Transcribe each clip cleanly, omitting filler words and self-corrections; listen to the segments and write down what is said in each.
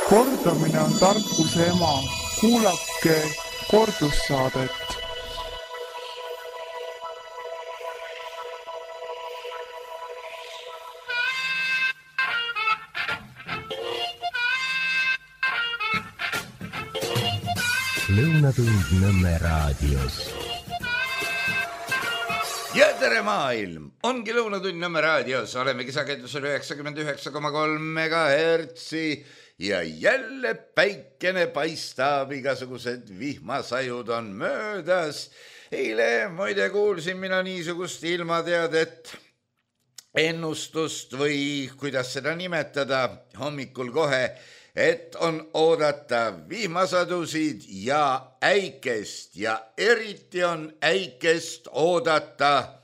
Kordamine on tarkuse ema. Kuulake kordussaadet. Lõunatund Nõmme raadios. Ja tere maailm! Ongi Lõunatund Nõmme raadios. Olemegi sagedusel 99,3 MHz ja jälle päikene paistab, igasugused vihmasajud on möödas. Eile muide kuulsin mina niisugust ilmateadet, ennustust või kuidas seda nimetada hommikul kohe, et on oodata vihmasadusid ja äikest ja eriti on äikest oodata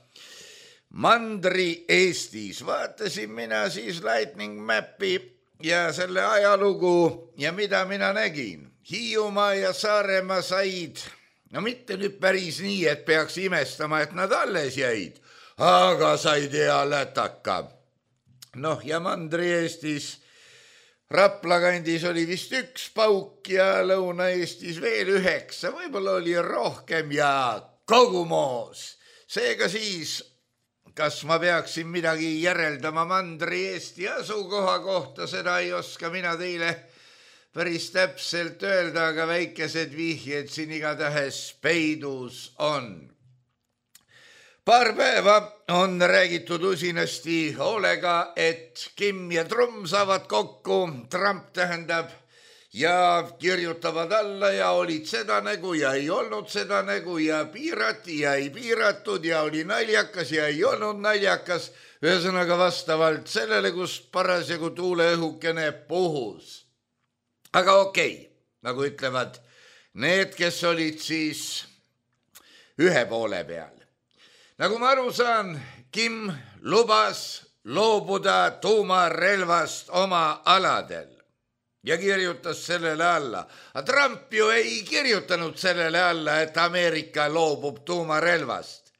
Mandri-Eestis. Vaatasin mina siis Lightning Mapi ja selle ajalugu ja mida mina nägin. Hiiumaa ja Saaremaa said, no mitte nüüd päris nii, et peaks imestama, et nad alles jäid, aga said hea lätaka. Noh ja Mandri-Eestis Rapla kandis oli vist 1 pauk ja Lõuna-Eestis veel 9, võib-olla oli rohkem ja kogu moos. Seega siis, kas ma peaksin midagi järeldama Mandri-Eesti asukoha kohta, seda ei oska mina teile päris täpselt öelda, aga väikesed vihjed siin igatahes peidus on. Paar päeva on räägitud usinasti hoolega, et Kim ja Trumm saavad kokku, Trump tähendab, ja kirjutavad alla ja olid seda nägu ja ei olnud seda nägu ja piirati ja ei piiratud ja oli naljakas ja ei olnud naljakas. Ühesõnaga vastavalt sellele, kus parasjagu tuuleõhukene puhus. Aga okei, nagu ütlevad need, kes olid siis ühe poole peal. Nagu ma aru saan, Kim lubas loobuda tuumarelvast oma aladel ja kirjutas sellele alla. Aga Trump ju ei kirjutanud sellele alla, et Ameerika loobub tuumarelvast.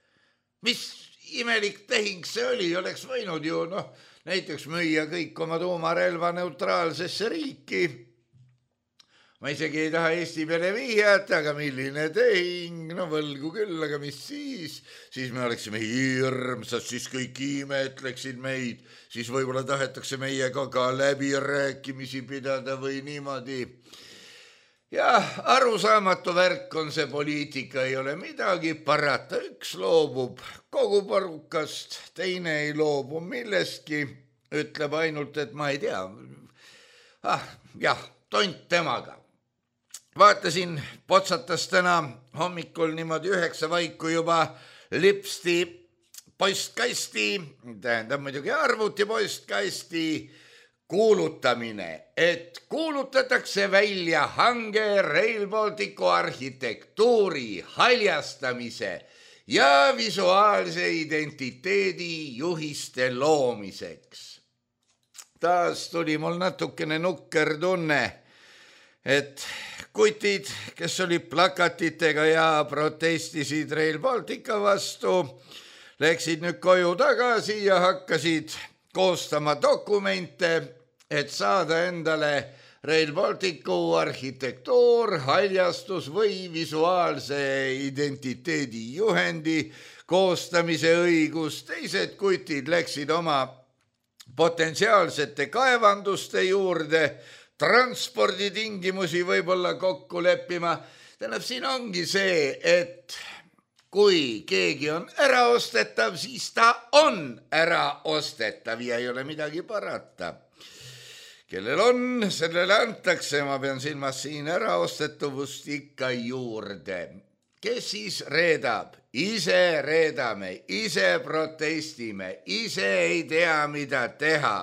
Mis imelik tehing see oli, oleks võinud ju näiteks müüa kõik oma tuumarelva neutraalsesse riiki. Ma isegi ei taha Eesti peale vihjata, aga milline tehing, võlgu küll, aga mis siis? Siis me oleksime hirmsad, siis kõik imetleksid meid, siis võib-olla tahetakse meiega ka läbirääkimisi pidada või niimoodi. Ja arusaamatu värk on see poliitika, ei ole midagi parata, üks loobub kogu porukast, teine ei loobu millestki, ütleb ainult, et ma ei tea. Tont temaga. Vaatasin, potsatas täna hommikul niimoodi 9 vaiku juba lipsti postkasti, tähendab muidugi arvuti postkasti kuulutamine, et kuulutatakse välja hange Rail Balticu arhitektuuri haljastamise ja visuaalse identiteedi juhiste loomiseks. Taas tuli mul natukene nukker tunne, et kutid, kes olid plakatitega ja protestisid Rail Baltica vastu, läksid nüüd koju tagasi ja hakkasid koostama dokumente, et saada endale Rail Balticu arhitektuur, haljastus või visuaalse identiteedi juhendi koostamise õigus. Teised kutid läksid oma potentsiaalsete kaevanduste juurde, transporditingimusi võib-olla kokku leppima. Tähendab, siin ongi see, et kui keegi on äraostetav, siis ta on äraostetav ja ei ole midagi parata. Kellel on, sellele antakse, ma pean silmas siin äraostetavust ikka juurde. Kes siis reedab? Ise reedame, ise protestime, ise ei tea, mida teha.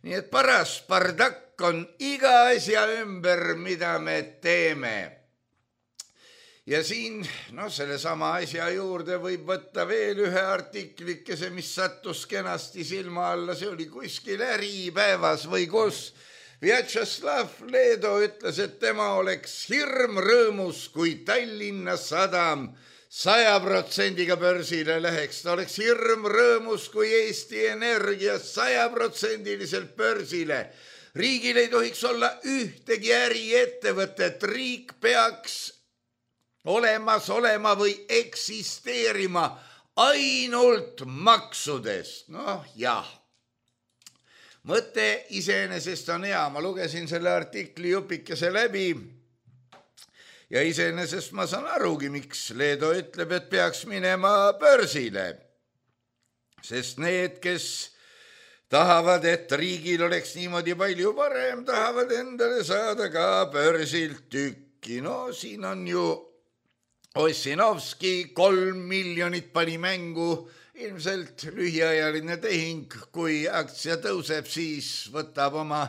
Nii et paras bardakk on iga asja ümber, mida me teeme. Ja siin, selle sama asja juurde võib võtta veel ühe artiklikese, mis sattus kenasti silma alla. See oli kuskil Äripäevas või kus. Vjatšeslav Leedo ütles, et tema oleks hirm rõõmus, kui Tallinna Sadam 100% börsile läheks. Ta oleks hirm rõõmus, kui Eesti Energia 100% börsile. riigil ei tohiks olla ühtegi äriettevõtet, riik peaks olemas olema või eksisteerima ainult maksudest. Noh, jah. Mõte iseenesest on hea, ma lugesin selle artikli jupikese läbi ja iseenesest ma saan arugi, miks Leedo ütleb, et peaks minema börsile. Sest need, kes tahavad, et riigil oleks niimoodi palju parem, tahavad endale saada ka börsilt tükki. No siin on ju Ossinovski 3 miljonit pani mängu, ilmselt lühiajaline tehing, kui aktsia tõuseb, siis võtab oma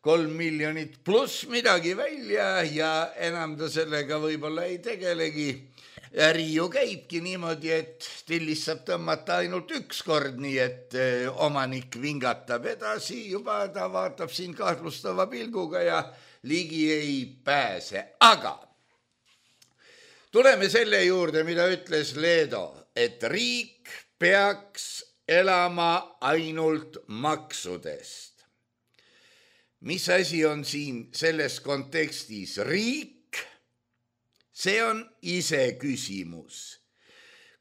3 miljonit pluss midagi välja ja enam ta sellega võib-olla ei tegelegi. Äri ju käibki niimoodi, et tillis saab tõmmata ainult üks kord, nii et omanik vingatab edasi, juba ta vaatab siin kahtlustava pilguga ja ligi ei pääse. Aga tuleme selle juurde, mida ütles Leedo, et riik peaks elama ainult maksudest. Mis asi on siin selles kontekstis riik? See on iseküsimus.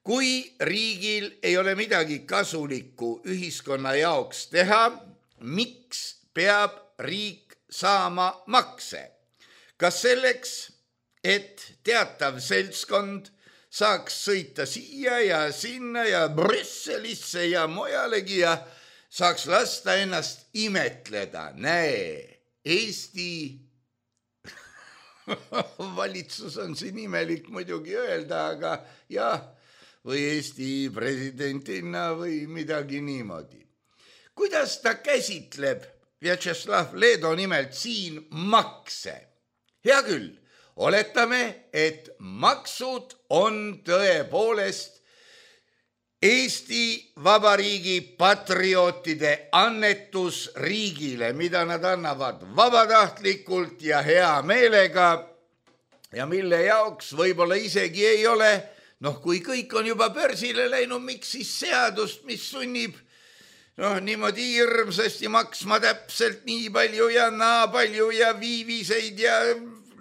Kui riigil ei ole midagi kasulikku ühiskonna jaoks teha, miks peab riik saama makse? Kas selleks, et teatav seltskond saaks sõita siia ja sinna ja Brüsselisse ja mujalegi ja saaks lasta ennast imetleda? Näe, Eesti valitsus on siin imelik muidugi öelda, aga jah, või Eesti presidentina või midagi niimoodi. Kuidas ta käsitleb Vjatšeslav Leedo nimelt siin makse? Hea küll, oletame, et maksud on tõepoolest Eesti Vabariigi patriootide annetus riigile, mida nad annavad vabatahtlikult ja hea meelega ja mille jaoks võib-olla isegi ei ole, kui kõik on juba börsile läinud, miks siis seadust, mis sunnib niimoodi hirmsasti maksma täpselt nii palju ja naa palju ja viiviseid ja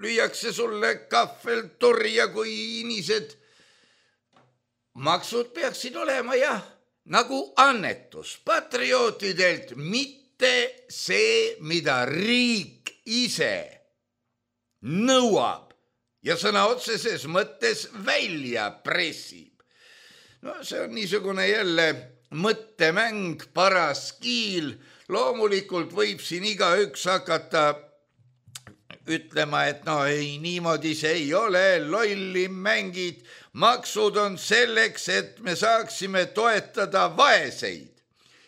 lüüakse sulle kahvelturja kui inised. Maksud peaksid olema jah, nagu annetus patriootidelt, mitte see, mida riik ise nõuab ja sõna otseses mõttes välja pressib. See on niisugune jälle mõttemäng, paras kiil. Loomulikult võib siin igaüks hakata ütlema, et ei, niimoodi see ei ole, lolli mängid, maksud on selleks, et me saaksime toetada vaeseid.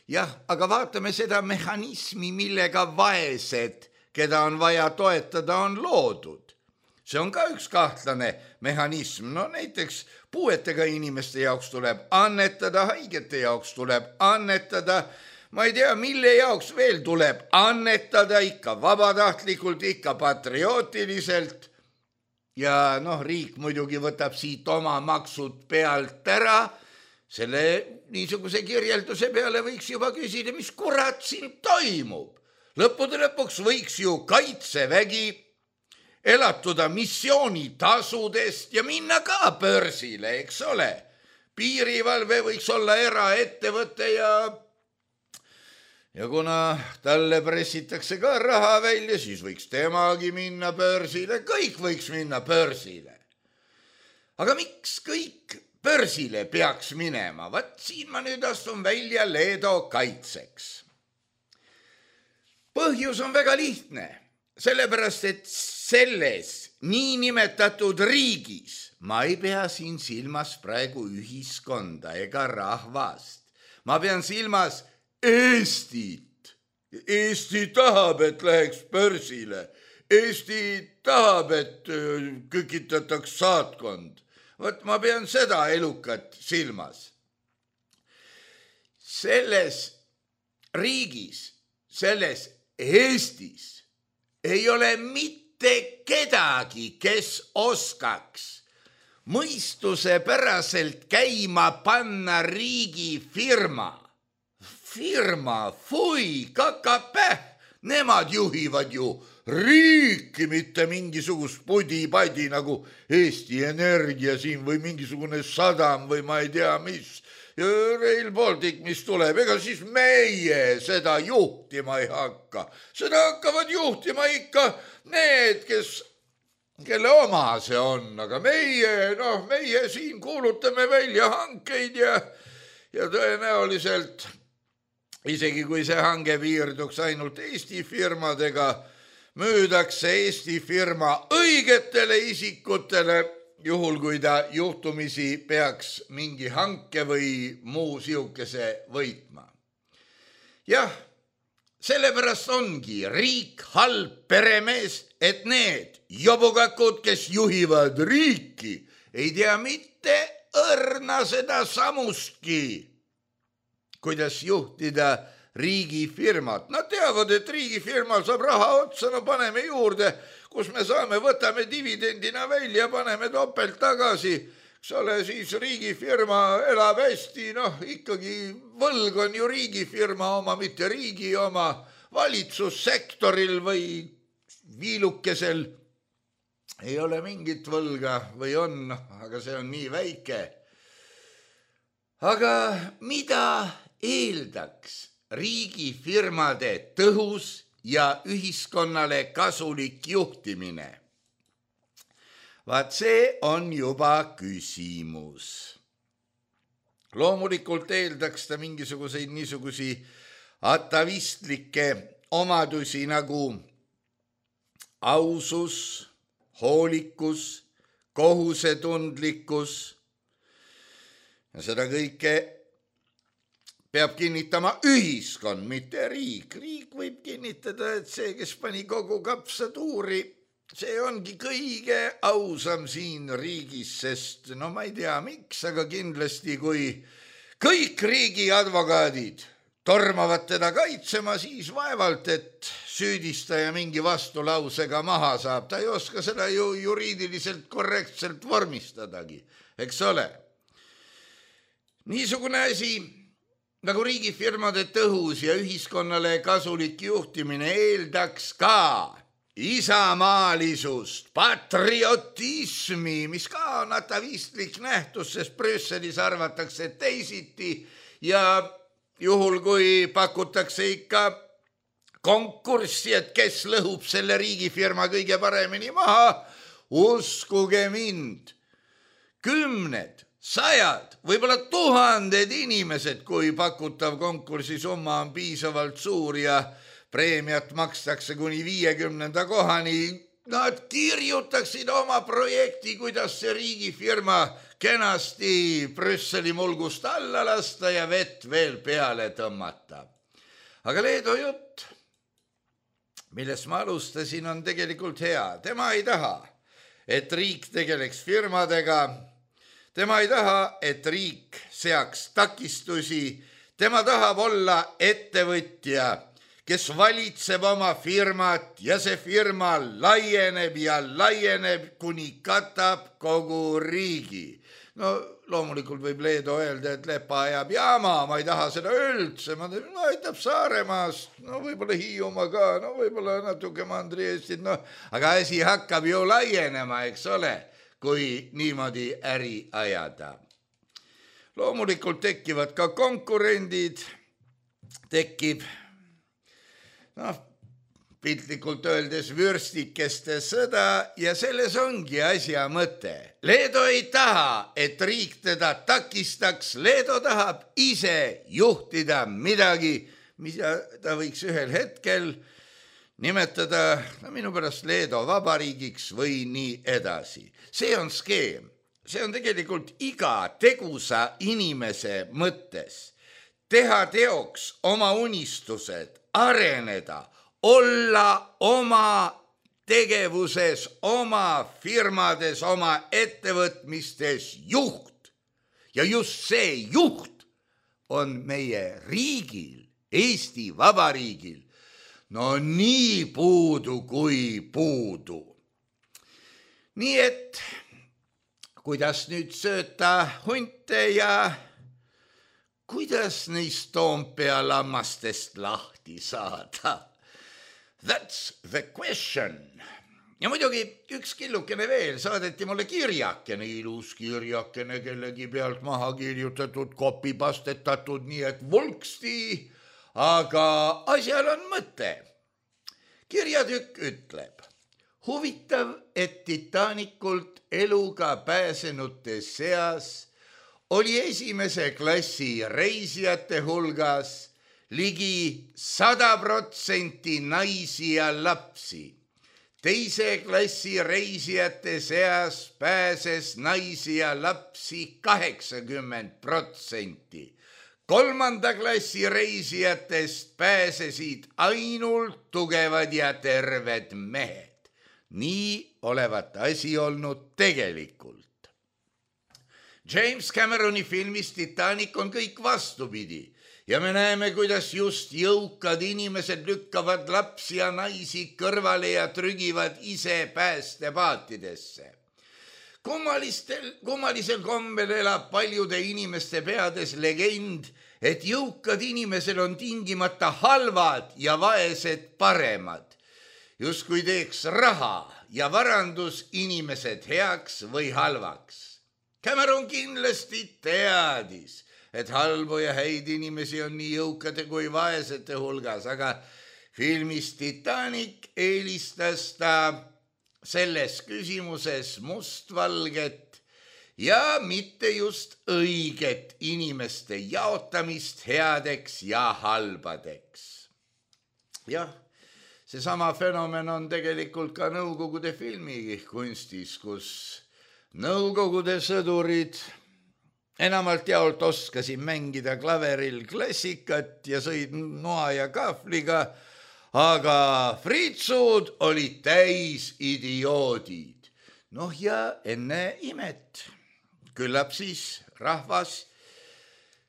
Jah, aga vaatame seda mehhanismi, millega vaesed, keda on vaja toetada, on loodud. See on ka üks kahtlane mehhanism. Näiteks puuetega inimeste jaoks tuleb annetada, haigete jaoks tuleb annetada, ma ei tea, mille jaoks veel tuleb annetada, ikka vabatahtlikult, ikka patriootiliselt. Ja riik muidugi võtab siit oma maksud pealt ära. Selle niisuguse kirjelduse peale võiks juba küsida, mis kurat siin toimub. Lõppude lõpuks võiks ju Kaitsevägi elatuda missioonitasudest ja minna ka börsile, eks ole. Piirivalve võiks olla eraettevõte ja kuna talle pressitakse ka raha välja, siis võiks temagi minna börsile, kõik võiks minna börsile. Aga miks kõik börsile peaks minema? Vaat siin ma nüüd astun välja Leedo kaitseks. Põhjus on väga lihtne, sellepärast et selles niinimetatud riigis, ma ei pea siin silmas praegu ühiskonda ega rahvast, ma pean silmas Eestit. Eesti tahab, et läheks börsile. Eesti tahab, et kükitataks saatkond. Vot ma pean seda elukat silmas. Selles riigis, selles Eestis ei ole mitte kedagi, kes oskaks mõistusepäraselt käima panna riigifirma. Firma, fui, kakapäh, Nemad juhivad ju riiki, mitte mingisugust pudi-padi nagu Eesti Energia siin või mingisugune sadam või ma ei tea mis. Ja Rail Baltic, mis tuleb, ega siis meie seda juhtima ei hakka. Seda hakkavad juhtima ikka need, kelle oma see on, aga meie siin kuulutame välja hankeid ja tõenäoliselt isegi kui see hange piirduks ainult Eesti firmadega, müüdakse Eesti firma õigetele isikutele, juhul kui ta juhtumisi peaks mingi hanke või muu siukese võitma. Jah, sellepärast ongi riik halb peremees, et need jobukakud, kes juhivad riiki, ei tea mitte õrna seda samustki, kuidas juhtida riigifirmat. Nad teavad, et riigifirmal saab raha otsa, no paneme juurde, kus me saame, võtame dividendina välja, paneme topelt tagasi, eks ole, siis riigifirma elab hästi, ikkagi võlg on ju riigifirma oma, mitte riigi oma, valitsussektoril või viilukesel ei ole mingit võlga või on, aga see on nii väike. Aga mida eeldaks riigifirmade tõhus ja ühiskonnale kasulik juhtimine? Vaat see on juba küsimus. Loomulikult eeldaks ta mingisuguseid niisugusi atavistlikke omadusi nagu ausus, hoolikus, kohusetundlikkus. Ja seda kõike peab kinnitama ühiskond, mitte riik. Riik võib kinnitada, et see, kes pani kogu kapsatuuri, see ongi kõige ausam siin riigis, sest ma ei tea miks, aga kindlasti kui kõik riigi advokaadid tormavad teda kaitsema, siis vaevalt, et süüdistaja mingi vastulausega maha saab. Ta ei oska seda ju juriidiliselt korrektselt vormistadagi, eks ole. Niisugune asi nagu riigifirmade tõhus ja ühiskonnale kasulik juhtimine eeldaks ka isamaalisust, patriotismi, mis ka on atavistlik nähtus, sest Brüsselis arvatakse teisiti ja juhul kui pakutakse ikka konkurssi, et kes lõhub selle riigifirma kõige paremini maha, uskuge mind, 10, 100, võib-olla 1000 inimesed, kui pakutav konkursisumma on piisavalt suur ja preemiat makstakse kuni 50. kohani, nad kirjutaksid oma projekti, kuidas see riigifirma kenasti Brüsseli mulgust alla lasta ja vett veel peale tõmmata. Aga Leedo jutt, millest ma alustasin, on tegelikult hea. Tema ei taha, et riik tegeleks firmadega. Tema ei taha, et riik seaks takistusi. Tema tahab olla ettevõtja, kes valitseb oma firmat ja see firma laieneb ja laieneb, kuni katab kogu riigi. Loomulikult võib Leedo öelda, et Lepa ajab jaama, ma ei taha seda üldse, aitab Saaremaast, võib-olla Hiiumaa ka, võib-olla natuke Mandri-Eestit, aga asi hakkab ju laienema, eks ole, kui niimoodi äri ajada. Loomulikult tekivad ka konkurendid, tekib, piltlikult öeldes vürstikeste sõda ja selles ongi asja mõte. Leedo ei taha, et riik teda takistaks, Leedo tahab ise juhtida midagi, mida ta võiks ühel hetkel nimetada minu pärast Leedo vabariigiks või nii edasi. See on skeem, see on tegelikult iga tegusa inimese mõttes. Teha teoks oma unistused, areneda, olla oma tegevuses, oma firmades, oma ettevõtmistes juht. Ja just see juht on meie riigil, Eesti Vabariigil, nii puudu kui puudu. Nii et kuidas nüüd sööta hunte ja kuidas neist Toompea lammastest lahti saada? That's the question. Ja muidugi üks killukene veel, saadeti mulle kirjakene, ilus kirjakene, kellegi pealt maha kirjutatud, kopipastetatud, nii et vulksti, aga asjal on mõte. Kirjatükk ütleb, huvitav, et Titanikult eluga pääsenute seas oli esimese klassi reisijate hulgas ligi 100% naisi ja lapsi. Teise klassi reisijate seas pääses naisi ja lapsi 80%. Kolmanda klassi reisijatest pääsesid ainult tugevad ja terved mehed. Nii olevat asi olnud tegelikult. James Cameroni filmis Titanic on kõik vastupidi. Ja me näeme, kuidas just jõukad inimesed lükkavad lapsi ja naisi kõrvale ja trügivad ise päästepaatidesse. Kummalisel kombel elab paljude inimeste peades legend, et jõukad inimesed on tingimata halvad ja vaesed paremad. Justkui teeks raha ja varandus inimesed heaks või halvaks. Cameron kindlasti teadis, et halbu ja häid inimesi on nii jõukade kui vaesete hulgas, aga filmis Titanic eelistas ta selles küsimuses mustvalget ja mitte just õiget inimeste jaotamist headeks ja halbadeks. Jah, seesama fenomen on tegelikult ka Nõukogude filmikunstis, kus Nõukogude sõdurid enamalt jaolt oskasin mängida klaveril klassikat ja sõid noa ja kahvliga, aga fritsud olid täis idioodid. Noh ja enne imet. Küllap siis rahvas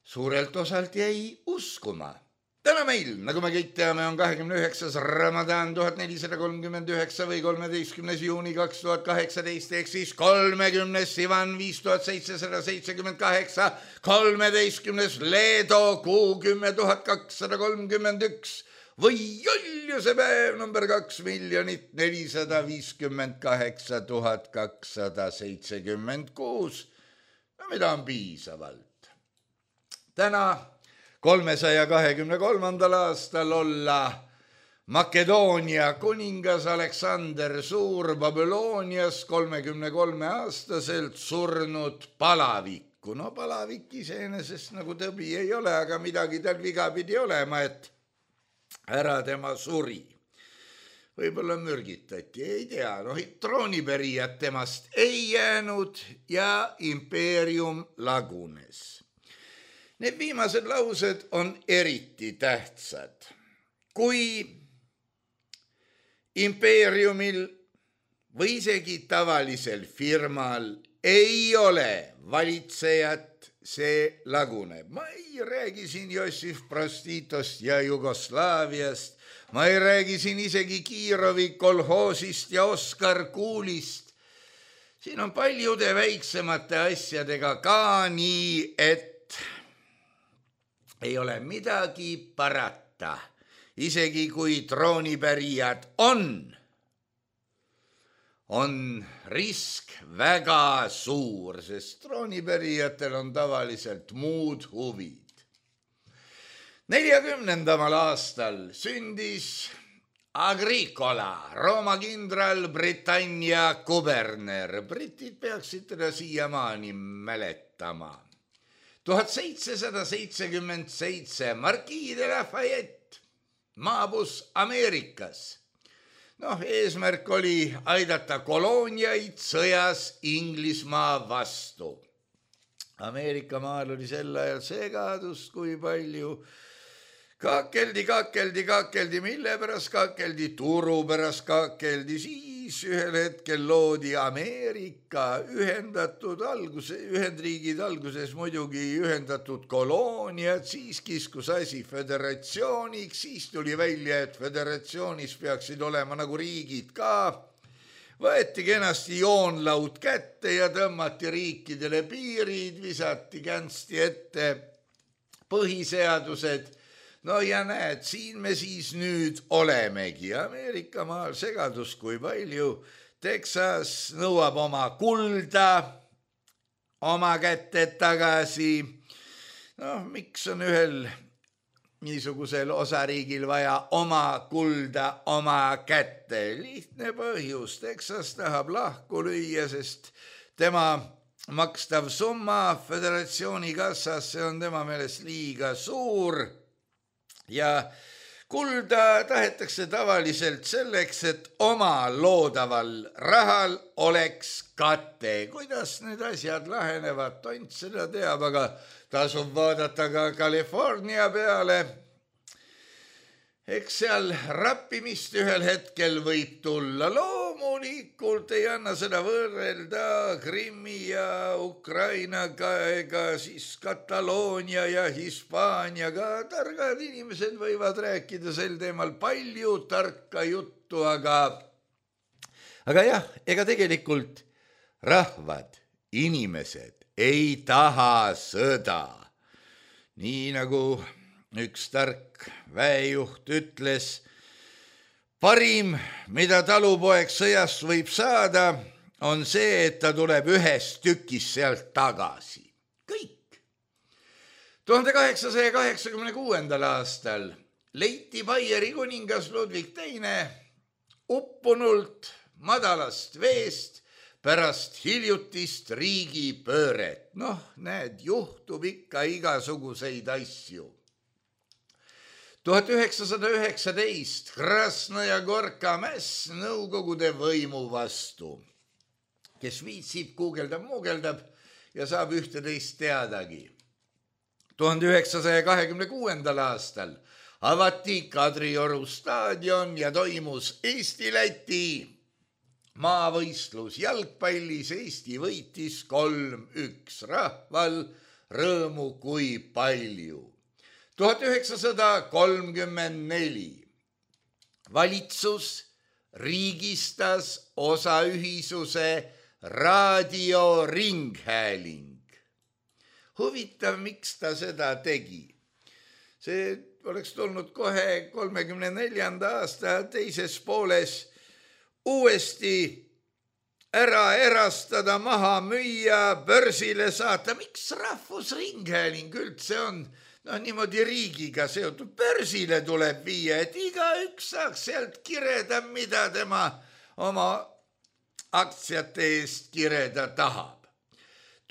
suurelt osalt jäi uskuma. Täna meil, nagu me kõik teame, on 29. Ramadan 1439 või 13. juuni 2018, ehk siis 30. Sivan 5778, 13. Leedo kuu 10.231 või joljuse päev number 2,458,276, no mida on piisavalt. Täna 323. aastal olla Makedoonia kuningas Aleksander Suur Babylonias 33-aastaselt surnud palavikku. No palavik iseenesest nagu tõbi ei ole, aga midagi tal viga pidi olema, et ära tema suri. Võib-olla mürgitati, ei tea, troonipärijad temast ei jäänud ja impeerium lagunes. Need viimased laused on eriti tähtsad. Kui impeeriumil või isegi tavalisel firmal ei ole valitsejat, see laguneb. Ma ei räägi siin Jossif Prostitost ja Jugoslaaviast, ma ei räägi siin isegi Kiirovi kolhoosist ja Oskar Kuulist. Siin on paljude väiksemate asjadega ka nii, et ei ole midagi parata, isegi kui troonipärijad on risk väga suur, sest troonipärijatel on tavaliselt muud huvid. 40. aastal sündis Agricola, Rooma kindral, Britannia kuberner. Britid peaksid teda siiamaani mäletama. 1777 Marquis de Lafayette maabus Ameerikas. Eesmärk oli aidata kolooniaid sõjas Inglismaa vastu. Ameerika maal oli sel ajal segadust, kui palju kakeldi, mille pärast kakeldi, turu pärast kakeldi, siis ühel hetkel loodi Ameerika Ühendriigid alguses muidugi ühendatud kolooniad, siis kiskus asi föderatsiooniks, siis tuli välja, et föderatsioonis peaksid olema nagu riigid ka. Võeti kenasti joonlaud kätte ja tõmmati riikidele piirid, visati känsti ette põhiseadused. no ja näed, siin me siis nüüd olemegi. Ameerika maal segadus kui palju. Texas nõuab oma kulda oma kätte tagasi. Noh, miks on ühel niisugusel osariigil vaja oma kulda oma kätte? Lihtne põhjus. Texas tahab lahku lüüa, sest tema makstav summa föderatsiooni kassasse on tema meelest liiga suur ja kulda tahetakse tavaliselt selleks, et oma loodaval rahal oleks kate. Kuidas need asjad lahenevad, tont seda teab, aga tasub vaadata ka California peale. Eks seal rappimist ühel hetkel võib tulla. Loomulikult ei anna seda võrrelda Krimmi ja Ukrainaga ega siis Kataloonia ja Hispaaniaga. Targad inimesed võivad rääkida sel teemal palju tarka juttu, aga jah, ega tegelikult rahvad, inimesed ei taha sõda. Nii nagu üks tark väejuht ütles, parim, mida talupoeg sõjast võib saada, on see, et ta tuleb ühest tükist sealt tagasi. Kõik. 1886. aastal leiti Baieri kuningas Ludwig II uppunult madalast veest pärast hiljutist riigipööret. Noh, näed, juhtub ikka igasuguseid asju. 1919 Krasnõja Gorka mäss Nõukogude võimu vastu. Kes viitsib, guugeldab ja saab ühteteist teadagi. 1926. aastal avati Kadrioru staadion ja toimus Eesti-Läti maavõistlus jalgpallis. Eesti võitis 3-1. Rahval rõõmu kui palju. 1934 valitsus riigistas osaühisuse raadioringhääling. Huvitav, miks ta seda tegi? See oleks tulnud kohe 34. aasta teises pooles uuesti ära erastada, maha müüa, börsile saata. Miks rahvusringhääling üldse on niimoodi riigiga seotud? Börsile tuleb viia, et igaüks saaks sealt kireda, mida tema oma aktsiate eest kireda tahab.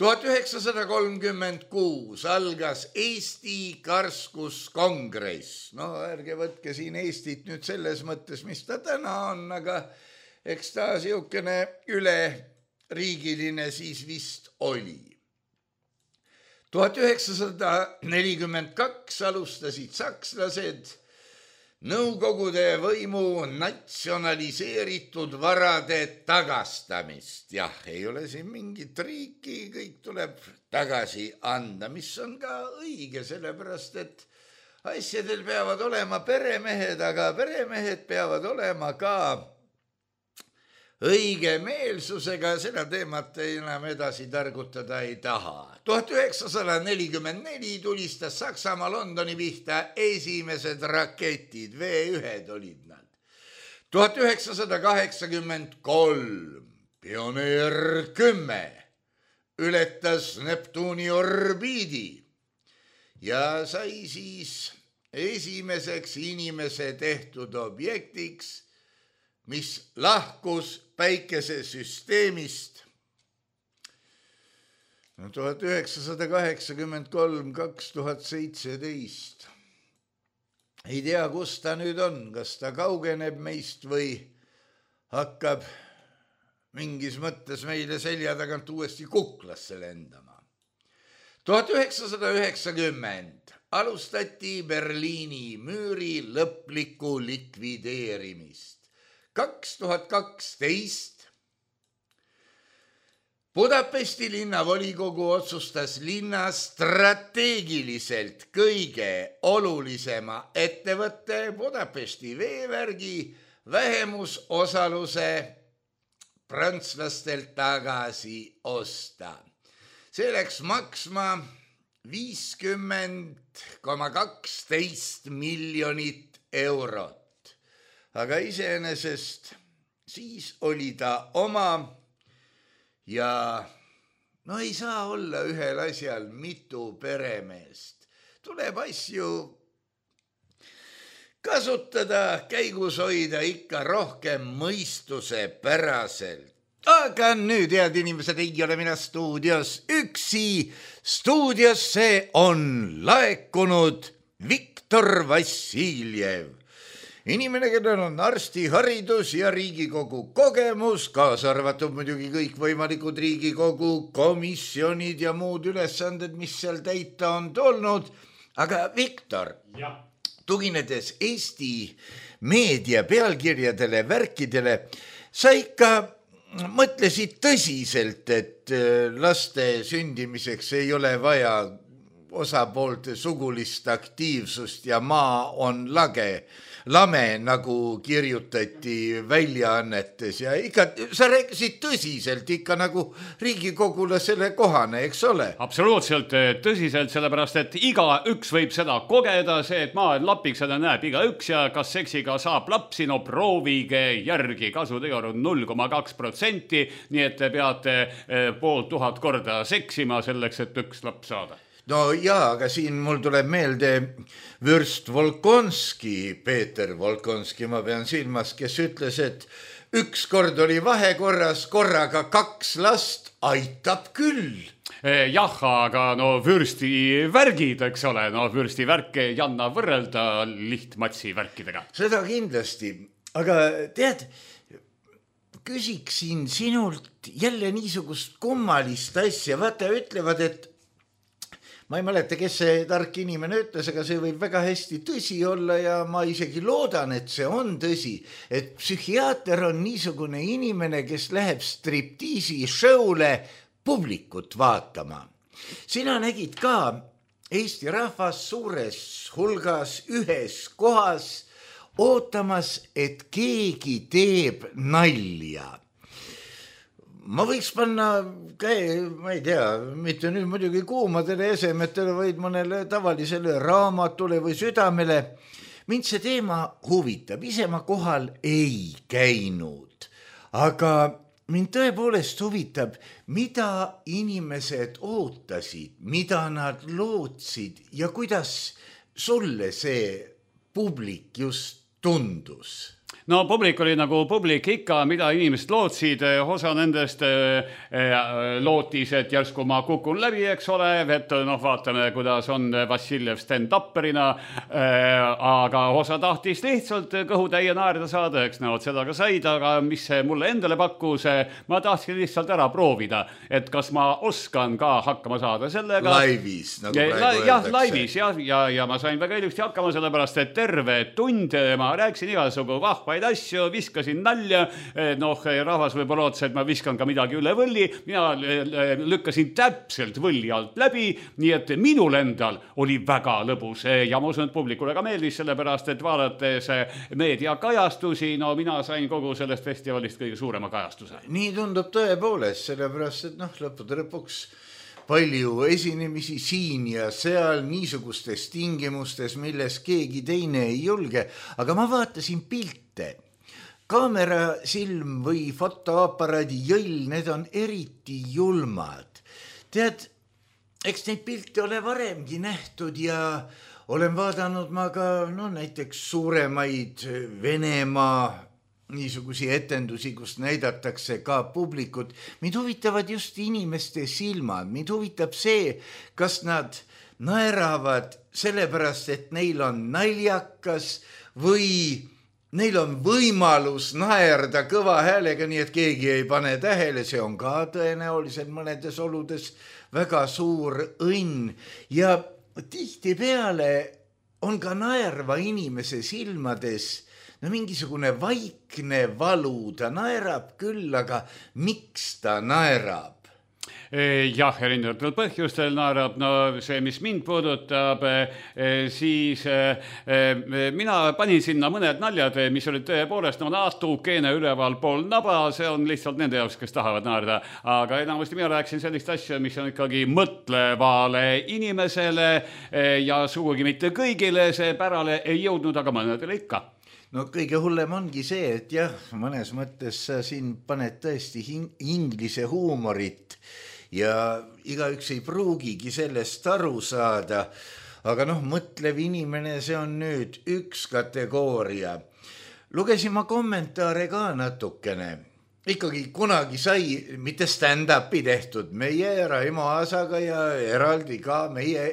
1936 algas Eesti Karskuskongress. No ärge võtke siin Eestit nüüd selles mõttes, mis ta täna on, aga eks ta siukene üleriigiline siis vist oli. 1942 alustasid sakslased Nõukogude võimu natsionaliseeritud varade tagastamist. Jah, ei ole siin mingit riiki, kõik tuleb tagasi anda, mis on ka õige, sellepärast et asjadel peavad olema peremehed, aga peremehed peavad olema ka õige meelsusega. Seda teemat enam edasi targutada ei taha. 1944 tulistas Saksamaa Londoni pihta esimesed raketid, V1 olid nad. 1983 Pioneer 10 ületas Neptuuni orbiidi ja sai siis esimeseks inimese tehtud objektiks, mis lahkus päikesesüsteemist 1983-2017. Ei tea, kus ta nüüd on, kas ta kaugeneb meist või hakkab mingis mõttes meile selja tagant uuesti kuklasse lendama. 1990 alustati Berliini müüri lõplikku likvideerimist. 2012 Budapesti linnavolikogu otsustas linna strateegiliselt kõige olulisema ettevõtte Budapesti veevärgi vähemusosaluse prantslastelt tagasi osta. See läks maksma 50,12 miljonit eurot. Aga iseenesest siis oli ta oma ja no ei saa olla ühel asjal mitu peremeest. Tuleb asju kasutada, käigus hoida ikka rohkem mõistuse päraselt. Aga nüüd, head inimesed, ei ole mina stuudios üksi. Stuudiosse on laekunud Viktor Vassiljev. Inimene, kellel on arstiharidus ja Riigikogu kogemus, kaasa arvatud muidugi kõikvõimalikud Riigikogu komisjonid ja muud ülesanded, mis seal täita on tulnud. Aga Viktor, tuginedes Eesti meedia pealkirjadele, värkidele, sa ikka mõtlesid tõsiselt, et laste sündimiseks ei ole vaja osapoolte sugulist aktiivsust ja maa on lame, nagu kirjutati väljaannetes ja ikka sa rääkisid tõsiselt ikka nagu riigikogulasele kohane, eks ole? Absoluutselt tõsiselt, sellepärast, et igaüks võib seda kogeda, see, et maa on lapiks, seda näeb igaüks ja kas seksiga saab lapsi, no proovige järgi, kasutegur on 0,2%, nii et te peate 500 korda seksima selleks, et üks laps saada. No jaa, aga siin mul tuleb meelde vürst Volkonski, Peeter Volkonski, ma pean silmas, kes ütles, et üks kord oli vahekorras, korraga 2 last, aitab küll. Jah, aga no vürsti värgid, eks ole, no vürsti värke ei anna võrrelda lihtmatsi värkidega. Seda kindlasti, aga tead, küsiksin sinult jälle niisugust kummalist asja, vaata ütlevad, et ma ei mäleta, kes see tark inimene ütles, aga see võib väga hästi tõsi olla ja ma isegi loodan, et see on tõsi, et psühhiaater on niisugune inimene, kes läheb striptiisi show'le publikut vaatama. Sina nägid ka Eesti rahvas suures hulgas ühes kohas ootamas, et keegi teeb nalja. Ma võiks panna käe, ma ei tea, mitte nüüd muidugi kuumadele esemetele, vaid mõnele tavalisele raamatule või südamele. Mind see teema huvitab, ise ma kohal ei käinud, aga mind tõepoolest huvitab, mida inimesed ootasid, mida nad lootsid ja kuidas sulle see publik just tundus? No publik oli nagu publik ikka, mida inimesed lootsid, osa nendest lootis, et järsku ma kukun läbi, eks ole, et vaatame, kuidas on Vassiljev stand-upperina, aga osa tahtis lihtsalt kõhutäie naerda saada, eks näod seda ka said, aga mis see mulle endale pakkus, ma tahtsin lihtsalt ära proovida, et kas ma oskan ka hakkama saada sellega. Laivis, nagu praegu öeldakse. Laivis, ja ma sain väga ilusti hakkama, sellepärast, et terve tund ma rääkisin igasugu vahvaid asju, viskasin nalja, rahvas võib-olla ootas, et ma viskan ka midagi üle võlli, mina lükkasin täpselt võlli alt läbi, nii et minul endal oli väga lõbus ja ma usun, et publikule ka meeldis, sellepärast, et vaadates meediakajastusi, mina sain kogu sellest festivalist kõige suurema kajastuse. Nii tundub tõepoolest, sellepärast, et lõppude lõpuks palju esinemisi siin ja seal niisugustes tingimustes, milles keegi teine ei julge, aga ma vaatasin pilte. Kaamera silm või fotoaparaadi jõll, need on eriti julmad. Tead, eks neid pilte ole varemgi nähtud ja olen vaadanud ma ka näiteks suuremaid Venemaa niisugusi etendusi, kus näidatakse ka publikut. Mind huvitavad just inimeste silmad. Mind huvitab see, kas nad naeravad sellepärast, et neil on naljakas või neil on võimalus naerda kõva häälega, nii et keegi ei pane tähele. See on ka tõenäoliselt mõnedes oludes väga suur õnn. Ja tihtipeale on ka naerva inimese silmades mingisugune vaikne valu, ta naerab küll, aga miks ta naerab? Jah, erinevatel põhjustel naerab. No see, mis mind puudutab, siis mina panin sinna mõned naljad, mis olid tõepoolest natukene ülevalpool naba. See on lihtsalt nende jaoks, kes tahavad naerda. Aga enamasti mina rääksin sellist asja, mis on ikkagi mõtlevale inimesele ja sugugi mitte kõigile see pärale ei jõudnud, aga mõnedele ikka. No kõige hullem ongi see, et jah, mõnes mõttes sa siin paned tõesti inglise huumorit ja igaüks ei pruugigi sellest aru saada, aga mõtlev inimene, see on nüüd üks kategooria. Lugesin ma kommentaare ka natukene. Ikkagi kunagi sai mitte stand-upi tehtud meie Raimo Aasaga ja eraldi ka meie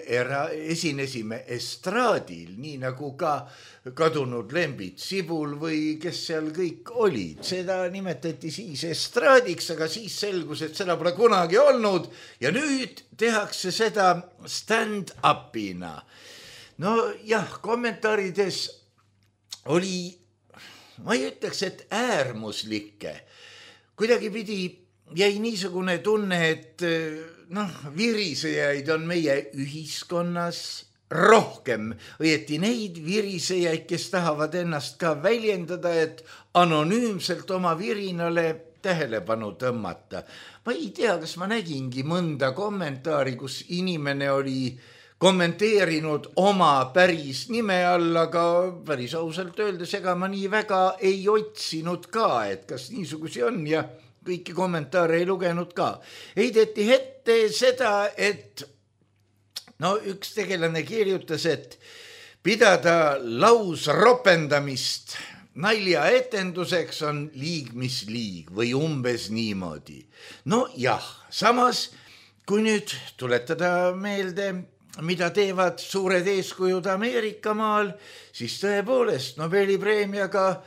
esinesime estraadil, nii nagu ka kadunud Lembit Sibul või kes seal kõik olid. Seda nimetati siis estraadiks, aga siis selgus, et seda pole kunagi olnud ja nüüd tehakse seda stand-upina. No jah, kommentaarides oli, ma ei ütleks, et äärmuslikke. Kuidagi pidi jäi niisugune tunne, et virisejaid on meie ühiskonnas rohkem, õieti neid virisejaid, kes tahavad ennast ka väljendada, et anonüümselt oma virinale tähelepanu tõmmata. Ma ei tea, kas ma nägingi mõnda kommentaari, kus inimene oli kommenteerinud oma päris nime all, aga päris ausalt öeldes, ega ma nii väga ei otsinud ka, et kas niisugusi on ja kõiki kommentaare ei lugenud ka. Heideti ette seda, et üks tegelane kirjutas, et pidada lausropendamist naljaetenduseks on liig mis liig või umbes niimoodi. Jah, samas kui nüüd tuletada meelde, mida teevad suured eeskujud Ameerika maal, siis tõepoolest Nobeli preemiaga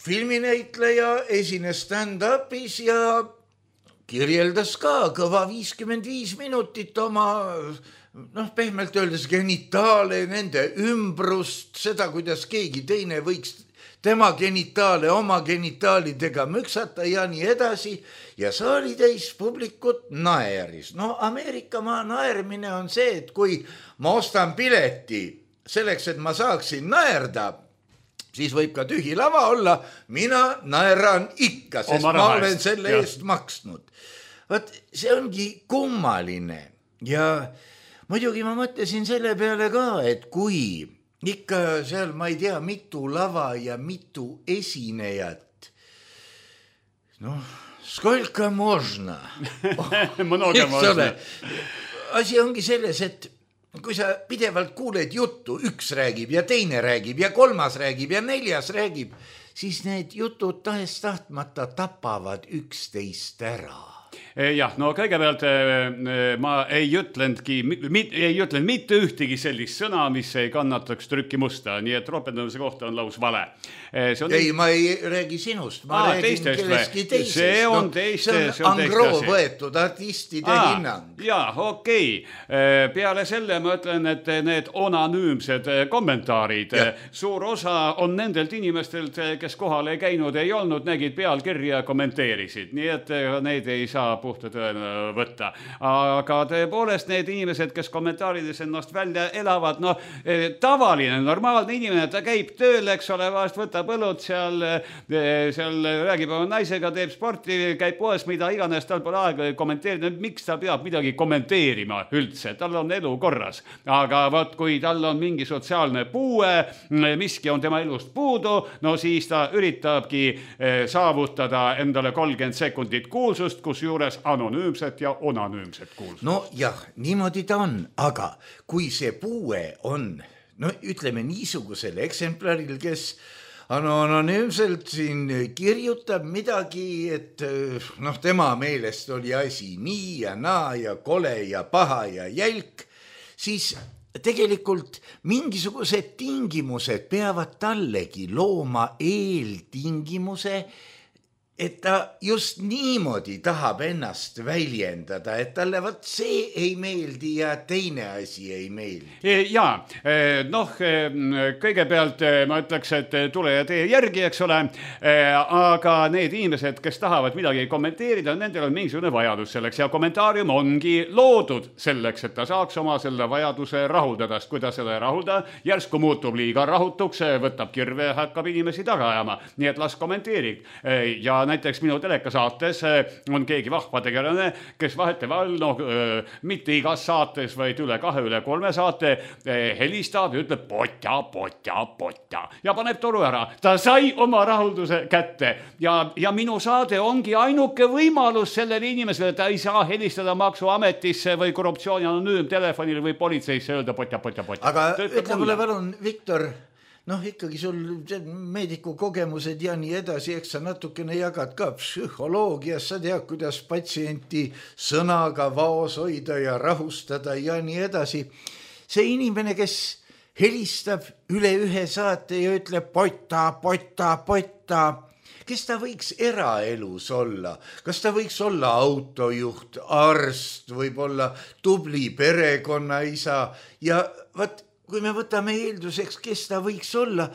filminäitleja esines stand-upis ja kirjeldas ka kõva 55 minutit oma, pehmelt öeldes genitaale, nende ümbrust, seda, kuidas keegi teine võiks tema genitaale oma genitaalidega müksata ja nii edasi. Ja saalitäis publikut naeris. Ameerika maa naermine on see, et kui ma ostan pileti selleks, et ma saaksin naerda, siis võib ka tühi lava olla, mina naeran ikka, sest ma olen selle eest maksnud. Vaat see ongi kummaline ja muidugi ma mõtlesin selle peale ka, et kui ikka seal, ma ei tea, mitu lava ja mitu esinejat, skolka možna. Asi ongi selles, et kui sa pidevalt kuuled juttu, üks räägib ja teine räägib ja kolmas räägib ja neljas räägib, siis need jutud tahes-tahtmata tapavad üksteist ära. Jah, kõigepealt ma ei ütlenud mitte ühtegi sellist sõna, mis ei kannataks trükkimusta, nii et ropendamise kohta on laus vale. Ei, ma ei räägi sinust, ma räägin kelleski teisest. See on teiste. See on angroo võetud artistide hinnang. Jaa, okei. Peale selle ma ütlen, et need anonüümsed kommentaarid, suur osa on nendelt inimestelt, kes kohal ei käinud, ei olnud, nägid pealkirja ja kommenteerisid, nii et neid ei saa puhta tõena võtta. Aga tõepoolest need inimesed, kes kommentaarides ennast välja elavad, tavaline, normaalne inimene, ta käib tööl, eks ole, vahest võtab õlut seal räägib oma naisega, teeb sporti, käib poes, mida iganes, tal pole aega kommenteerida, miks ta peab midagi kommenteerima üldse, tal on elu korras. Aga võt, kui tal on mingi sotsiaalne puue, miski on tema elust puudu, siis ta üritabki saavutada endale 30 sekundit kuulsust, kus juures anonüümset ja onanüümset kuulsust. Jah, niimoodi ta on, aga kui see puue on, ütleme niisugusel eksemplaril, kes anonüümselt siin kirjutab midagi, et tema meelest oli asi nii ja naa ja kole ja paha ja jälk, siis tegelikult mingisugused tingimused peavad tallegi looma eeltingimuse et ta just niimoodi tahab ennast väljendada, et talle vot see ei meeldi ja teine asi ei meeldi. Jaa, noh, kõigepealt ma ütleks, et tule ja tee järgi, eks ole, aga need inimesed, kes tahavad midagi kommenteerida, nendel on mingisugune vajadus selleks ja kommentaarium ongi loodud selleks, et ta saaks oma selle vajaduse rahuldada, sest kui ta seda ei rahulda, järsku muutub liiga rahutuks, võtab kirve ja hakkab inimesi taga ajama, nii et las kommenteerig. Ja näiteks minu telekasaates on keegi vahva tegelane, kes vahetevahel, mitte igas saates, vaid üle 2, üle 3 saate helistab ja ütleb potja ja paneb toru ära. Ta sai oma rahulduse kätte ja minu saade ongi ainuke võimalus sellele inimesele, ta ei saa helistada maksuametisse või korruptsiooni anonüümtelefonile või politseisse öelda potja. Aga ütle mulle palun, Viktor, ikkagi sul meediku kogemused ja nii edasi, eks sa natukene jagad ka psühholoogias, sa tead, kuidas patsienti sõnaga vaos hoida ja rahustada ja nii edasi. See inimene, kes helistab üle 1 saate ja ütleb pota, kes ta võiks eraelus olla? Kas ta võiks olla autojuht, arst, võib-olla tubli perekonnaisa ja kui me võtame eelduseks, kes ta võiks olla,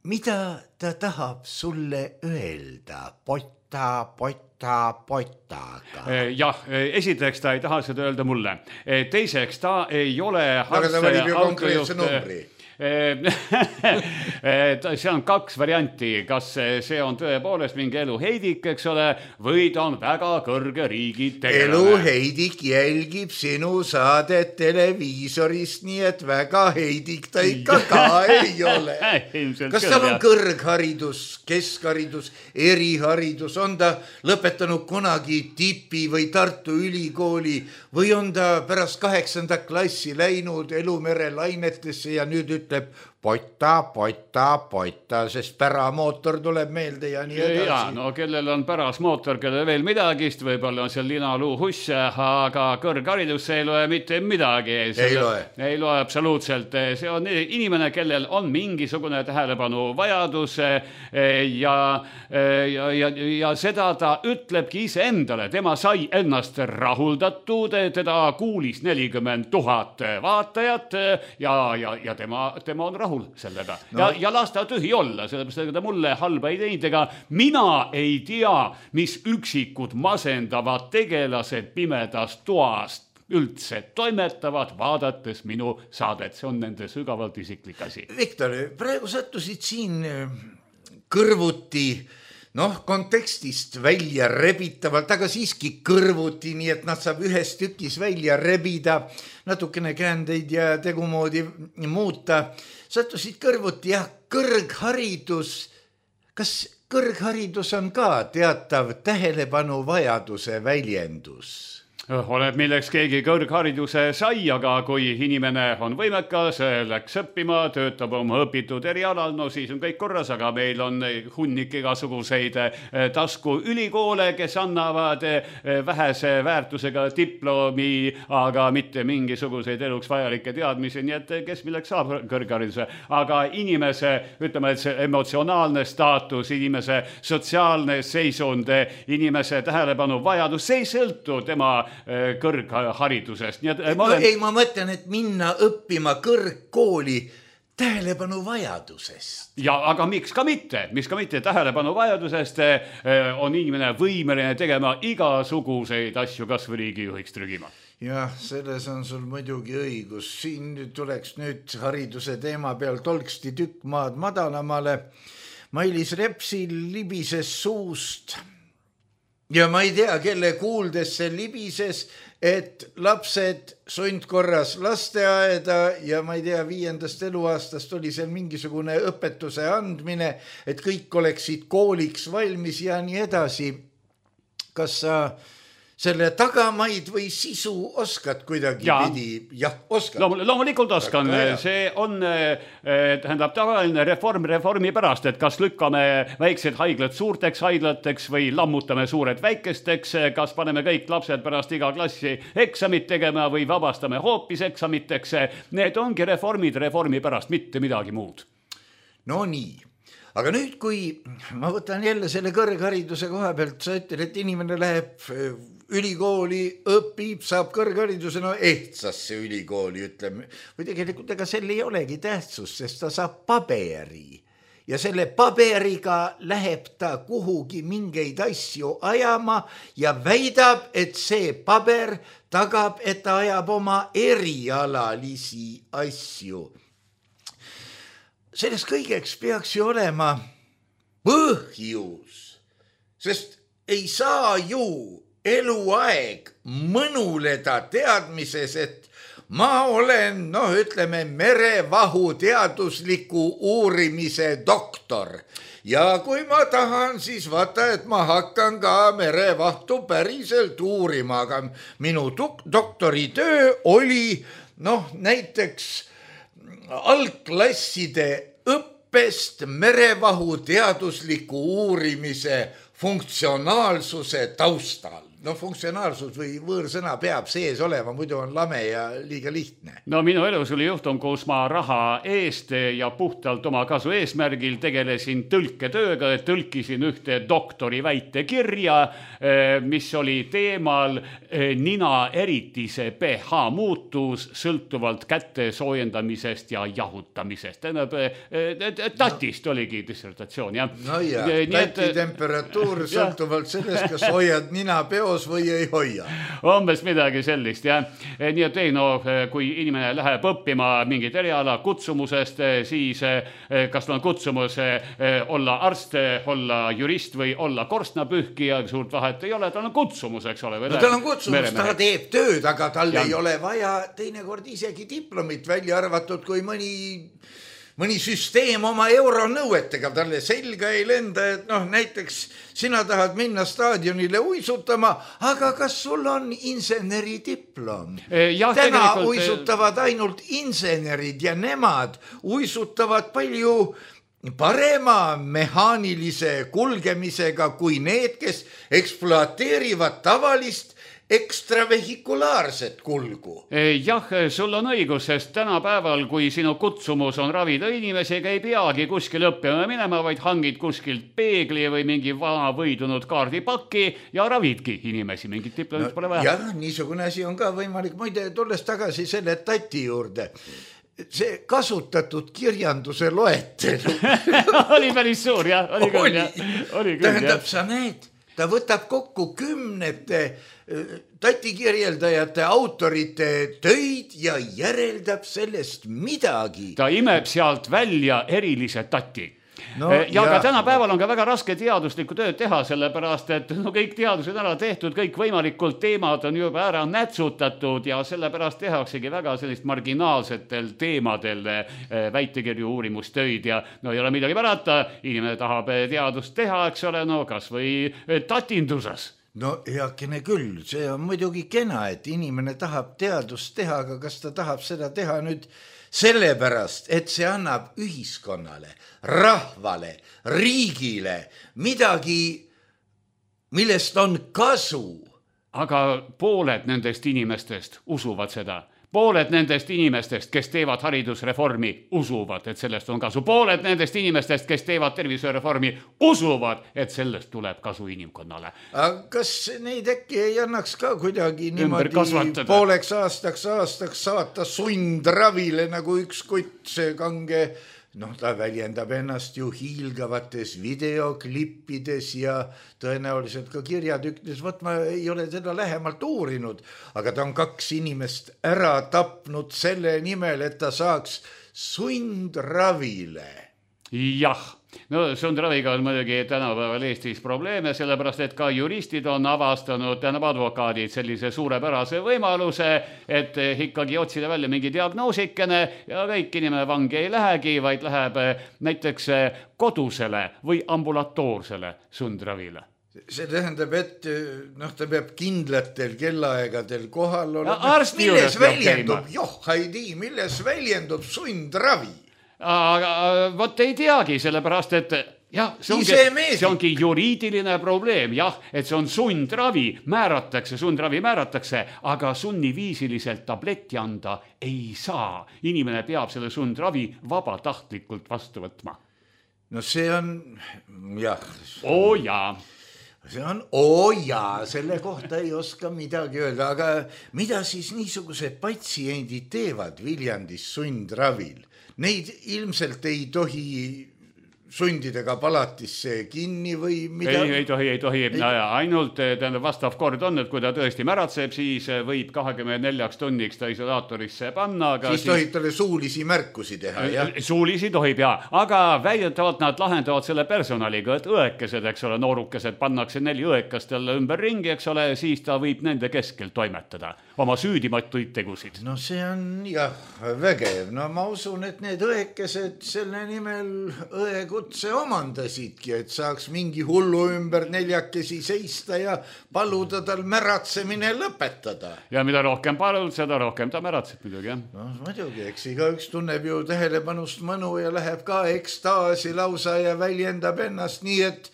mida ta tahab sulle öelda potaga? Jah, esiteks ta ei taha seda öelda mulle. Teiseks, ta ei ole aga ta valib ju konkreetse numbri. See on 2 varianti, kas see on tõepoolest mingi eluheidik, eks ole, või ta on väga kõrge riigitegelane. Eluheidik jälgib sinu saadet televiisorist, nii et väga heidik ta ikka ka ei ole. Kas tal on kõrgharidus, keskharidus, eriharidus, on ta lõpetanud kunagi Tipi või Tartu ülikooli või on ta pärast 8. klassi läinud Elumere lainetesse ja nüüd ütleb pota, sest päramootor tuleb meelde ja nii edasi. Ja, kellel on pärasmootor, kellel veel midagist, võib-olla on seal linaluu husse, aga kõrgharidus ei loe mitte midagi. Ei loe absoluutselt. See on inimene, kellel on mingisugune tähelepanu vajadus ja seda ta ütlebki ise endale. Tema sai ennast rahuldatud, teda kuulis 40 000 vaatajat ja tema on rahul sellega. Ja las ta tühi olla, sellepärast, et ta mulle halba ei teinud, ega mina ei tea, mis üksikud masendavad tegelased pimedas toast üldse toimetavad, vaadates minu saadet. See on nende sügavalt isiklik asi. Viktor, praegu sattusid siin kõrvuti, kontekstist välja rebitavalt, aga siiski kõrvuti, nii et nad saab ühes tükis välja rebida, natukene käändeid ja tegumoodi muuta. Sattusid kõrvuti ja kõrgharidus. Kas kõrgharidus on ka teatav tähelepanu vajaduse väljendus? Oleneb, milleks keegi kõrghariduse sai, aga kui inimene on võimekas, läks õppima, töötab oma õpitud erialal, siis on kõik korras, aga meil on hunnik igasuguseid taskuülikoole, kes annavad vähese väärtusega diplomi, aga mitte mingisuguseid eluks vajalikke teadmisi, nii et kes milleks saab kõrghariduse. Aga inimese, ütleme, et see emotsionaalne staatus, inimese sotsiaalne seisund, inimese tähelepanu vajadus, see ei sõltu tema kõrgharidusest. Ma mõtlen, et minna õppima kõrgkooli tähelepanu vajadusest. Ja, aga miks ka mitte tähelepanu vajadusest on inimene võimeline tegema igasuguseid asju, kas või riigijuhiks trügima. Jah, selles on sul muidugi õigus. Siin tuleks nüüd hariduse teema peal tolksti tükk maad madalamale. Mailis Repsil libises suust. Ja ma ei tea, kelle kuuldes see libises, et lapsed sundkorras lasteaeda ja ma ei tea, 5. eluaastast oli seal mingisugune õpetuse andmine, et kõik oleksid kooliks valmis ja nii edasi. Kas sa selle tagamaid või sisu oskad kuidagi pidi? Jah, oskad. Loomulikult oskan. See on tavaline reformi pärast, et kas lükkame väiksed haiglad suurteks haiglateks või lammutame suured väikesteks, kas paneme kõik lapsed pärast iga klassi eksamit tegema või vabastame hoopis eksamiteks. Need ongi reformi pärast, mitte midagi muud. No nii. aga nüüd, kui ma võtan jälle selle kõrghariduse koha pealt, sa ütled, et inimene läheb ülikooli, õpib, saab kõrghariduse, no ehtsasse ülikooli, ütleme, või tegelikult ega sel ei olegi tähtsust, sest ta saab paberi ja selle paberiga läheb ta kuhugi mingeid asju ajama ja väidab, et see paber tagab, et ta ajab oma erialalisi asju. Sellest kõigeks peaks ju olema põhjus, sest ei saa ju eluaeg mõnuleda teadmises, et ma olen, ütleme, merevahu teadusliku uurimise doktor ja kui ma tahan, siis vaata, et ma hakkan ka merevahtu päriselt uurima, aga minu doktoritöö oli, näiteks algklasside õppest merevahu teadusliku uurimise funktsionaalsuse taustal. Funktsionaalsus või võõrsõna peab sees olema, muidu on lame ja liiga lihtne. Minu elus oli juhtum, kus ma raha eest ja puhtalt oma kasu eesmärgil tegelesin tõlketööga, tõlkisin ühte doktori väitekirja, mis oli teemal nina eritise pH muutus sõltuvalt käte soojendamisest ja jahutamisest. Tatist oligi dissertatsioon, jah. Tati temperatuur sõltuvalt sellest, kas hoiad nina peos või ei hoia. Umbes midagi sellist, jah. Nii et kui inimene läheb õppima mingit eriala kutsumusest, siis kas on kutsumus olla arst, olla jurist või olla korstnapühkija, suurt vahet ei ole, tal on kutsumus, eks ole. Tal on kutsumus, ta teeb tööd, aga tal ei ole vaja teinekord isegi diplomit välja arvatud, kui mõni süsteem oma euronõuetega talle selga ei lenda, et näiteks sina tahad minna staadionile uisutama, aga kas sul on inseneridiplom? Täna uisutavad ainult insenerid ja nemad uisutavad palju parema mehaanilise kulgemisega kui need, kes ekspluateerivad tavalist ekstravehikulaarset kulgu. Jah, sul on õigus, sest tänapäeval, kui sinu kutsumus on ravida inimesi, ei peagi kuskil õppima minema, vaid hangid kuskilt peegli või mingi vana võidunud kaardipaki ja ravidki inimesi, mingit diplomit pole vaja. Jah, niisugune asi on ka võimalik. Muide, tulles tagasi selle Tati juurde, see kasutatud kirjanduse loetelu oli päris suur, jah. Tähendab, sa näed, ta võtab kokku kümnete Tati kirjeldajate autorite töid ja järeldab sellest midagi. Ta imeb sealt välja erilise Tati. Aga tänapäeval on ka väga raske teaduslikku tööd teha, sellepärast, et kõik teadused ära tehtud, kõik võimalikult teemad on juba ära nätsutatud ja sellepärast tehaksegi väga sellist marginaalsetel teemadel väitekirju uurimustöid ja ei ole midagi parata, inimene tahab teadust teha, eks ole, kas või tatinduses. Heakene küll, see on muidugi kena, et inimene tahab teadust teha, aga kas ta tahab seda teha nüüd sellepärast, et see annab ühiskonnale, rahvale, riigile midagi, millest on kasu. Aga pooled nendest inimestest usuvad seda. Pooled nendest inimestest, kes teevad haridusreformi, usuvad, et sellest on kasu. Pooled nendest inimestest, kes teevad tervishoiureformi, usuvad, et sellest tuleb kasu inimkonnale. Aga kas neid äkki ei annaks ka kuidagi niimoodi pooleks aastaks saata sundravile nagu üks kutt, see kange, ta väljendab ennast ju hiilgavates videoklippides ja tõenäoliselt ka kirjatükkides. Ma ei ole seda lähemalt uurinud, aga ta on 2 inimest ära tapnud selle nimel, et ta saaks sundravile. Jah. Sundraviga on muidugi tänapäeval Eestis probleeme, sellepärast, et ka juristid on avastanud, advokaadid sellise suurepärase võimaluse, et ikkagi otsida välja mingi diagnoosikene ja kõik inimene vangi ei lähegi, vaid läheb näiteks kodusele või ambulatoorsele sundravile. See tähendab, et ta peab kindlatel kellaaegadel kohal olema. Milles väljendub, milles väljendub sundravi? Aga vot ei teagi, sellepärast, et jah, see ongi juriidiline probleem, jah, et see on sundravi määratakse, aga sunniviisiliselt tabletti anda ei saa. Inimene peab selle sundravi vabatahtlikult vastu võtma. no see on, jah. Oo jaa. See on jaa, selle kohta ei oska midagi öelda, aga mida siis niisugused patsiendid teevad Viljandis sundravil? Neid ilmselt ei tohi sundidega palatisse kinni või mida? Ei tohi. Ainult vastav kord on, et kui ta tõesti märatseb, siis võib 24 tunniks ta isolaatorisse panna. Siis tohib talle suulisi märkusi teha, jah? Suulisi tohib, jah. Aga väidetavalt nad lahendavad selle personaliga, et õekesed, eks ole, noorukesed pannakse 4 õekast talle ümber ringi, eks ole, siis ta võib nende keskel toimetada oma süüdimatuid tegusid. No see on jah vägev. No ma usun, et need õekesed selle nimel õekutse omandasidki, et saaks mingi hullu ümber 4 seista ja paluda tal märatsemine lõpetada. Ja mida rohkem palud, seda rohkem ta märatseb muidugi, jah. No muidugi, eks igaüks tunneb ju tähelepanust mõnu ja läheb ka ekstaasi lausa ja väljendab ennast nii, et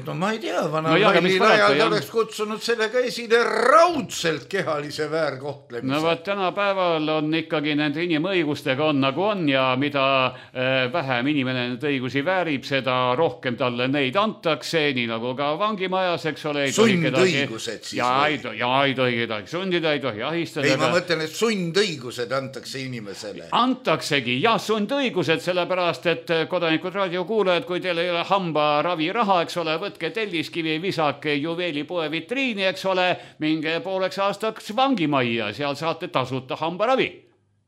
no ma ei tea, vanal ajal oleks kutsunud sellega esile raudselt kehalise väärkohtlemise. No võt, tänapäeval on ikkagi nende inimõigustega on nagu on ja mida vähem inimene need õigusi väärib, seda rohkem talle neid antakse, nii nagu ka vangimajas, eks ole. Sundõigused siis. Ei tohi kedagi sundida, ei tohi ahistada. Ei, ma mõtlen, et sundõigused antakse inimesele. Antaksegi, jah, sundõigused, sellepärast, et kodanikud raadiokuulajad, kui teil ei ole hambaravi raha, eks ole, võtke telliskivi, visake juveelipoe vitriini, eks ole, minge pooleks aastaks vangimajja, seal saate tasuta hambaravi.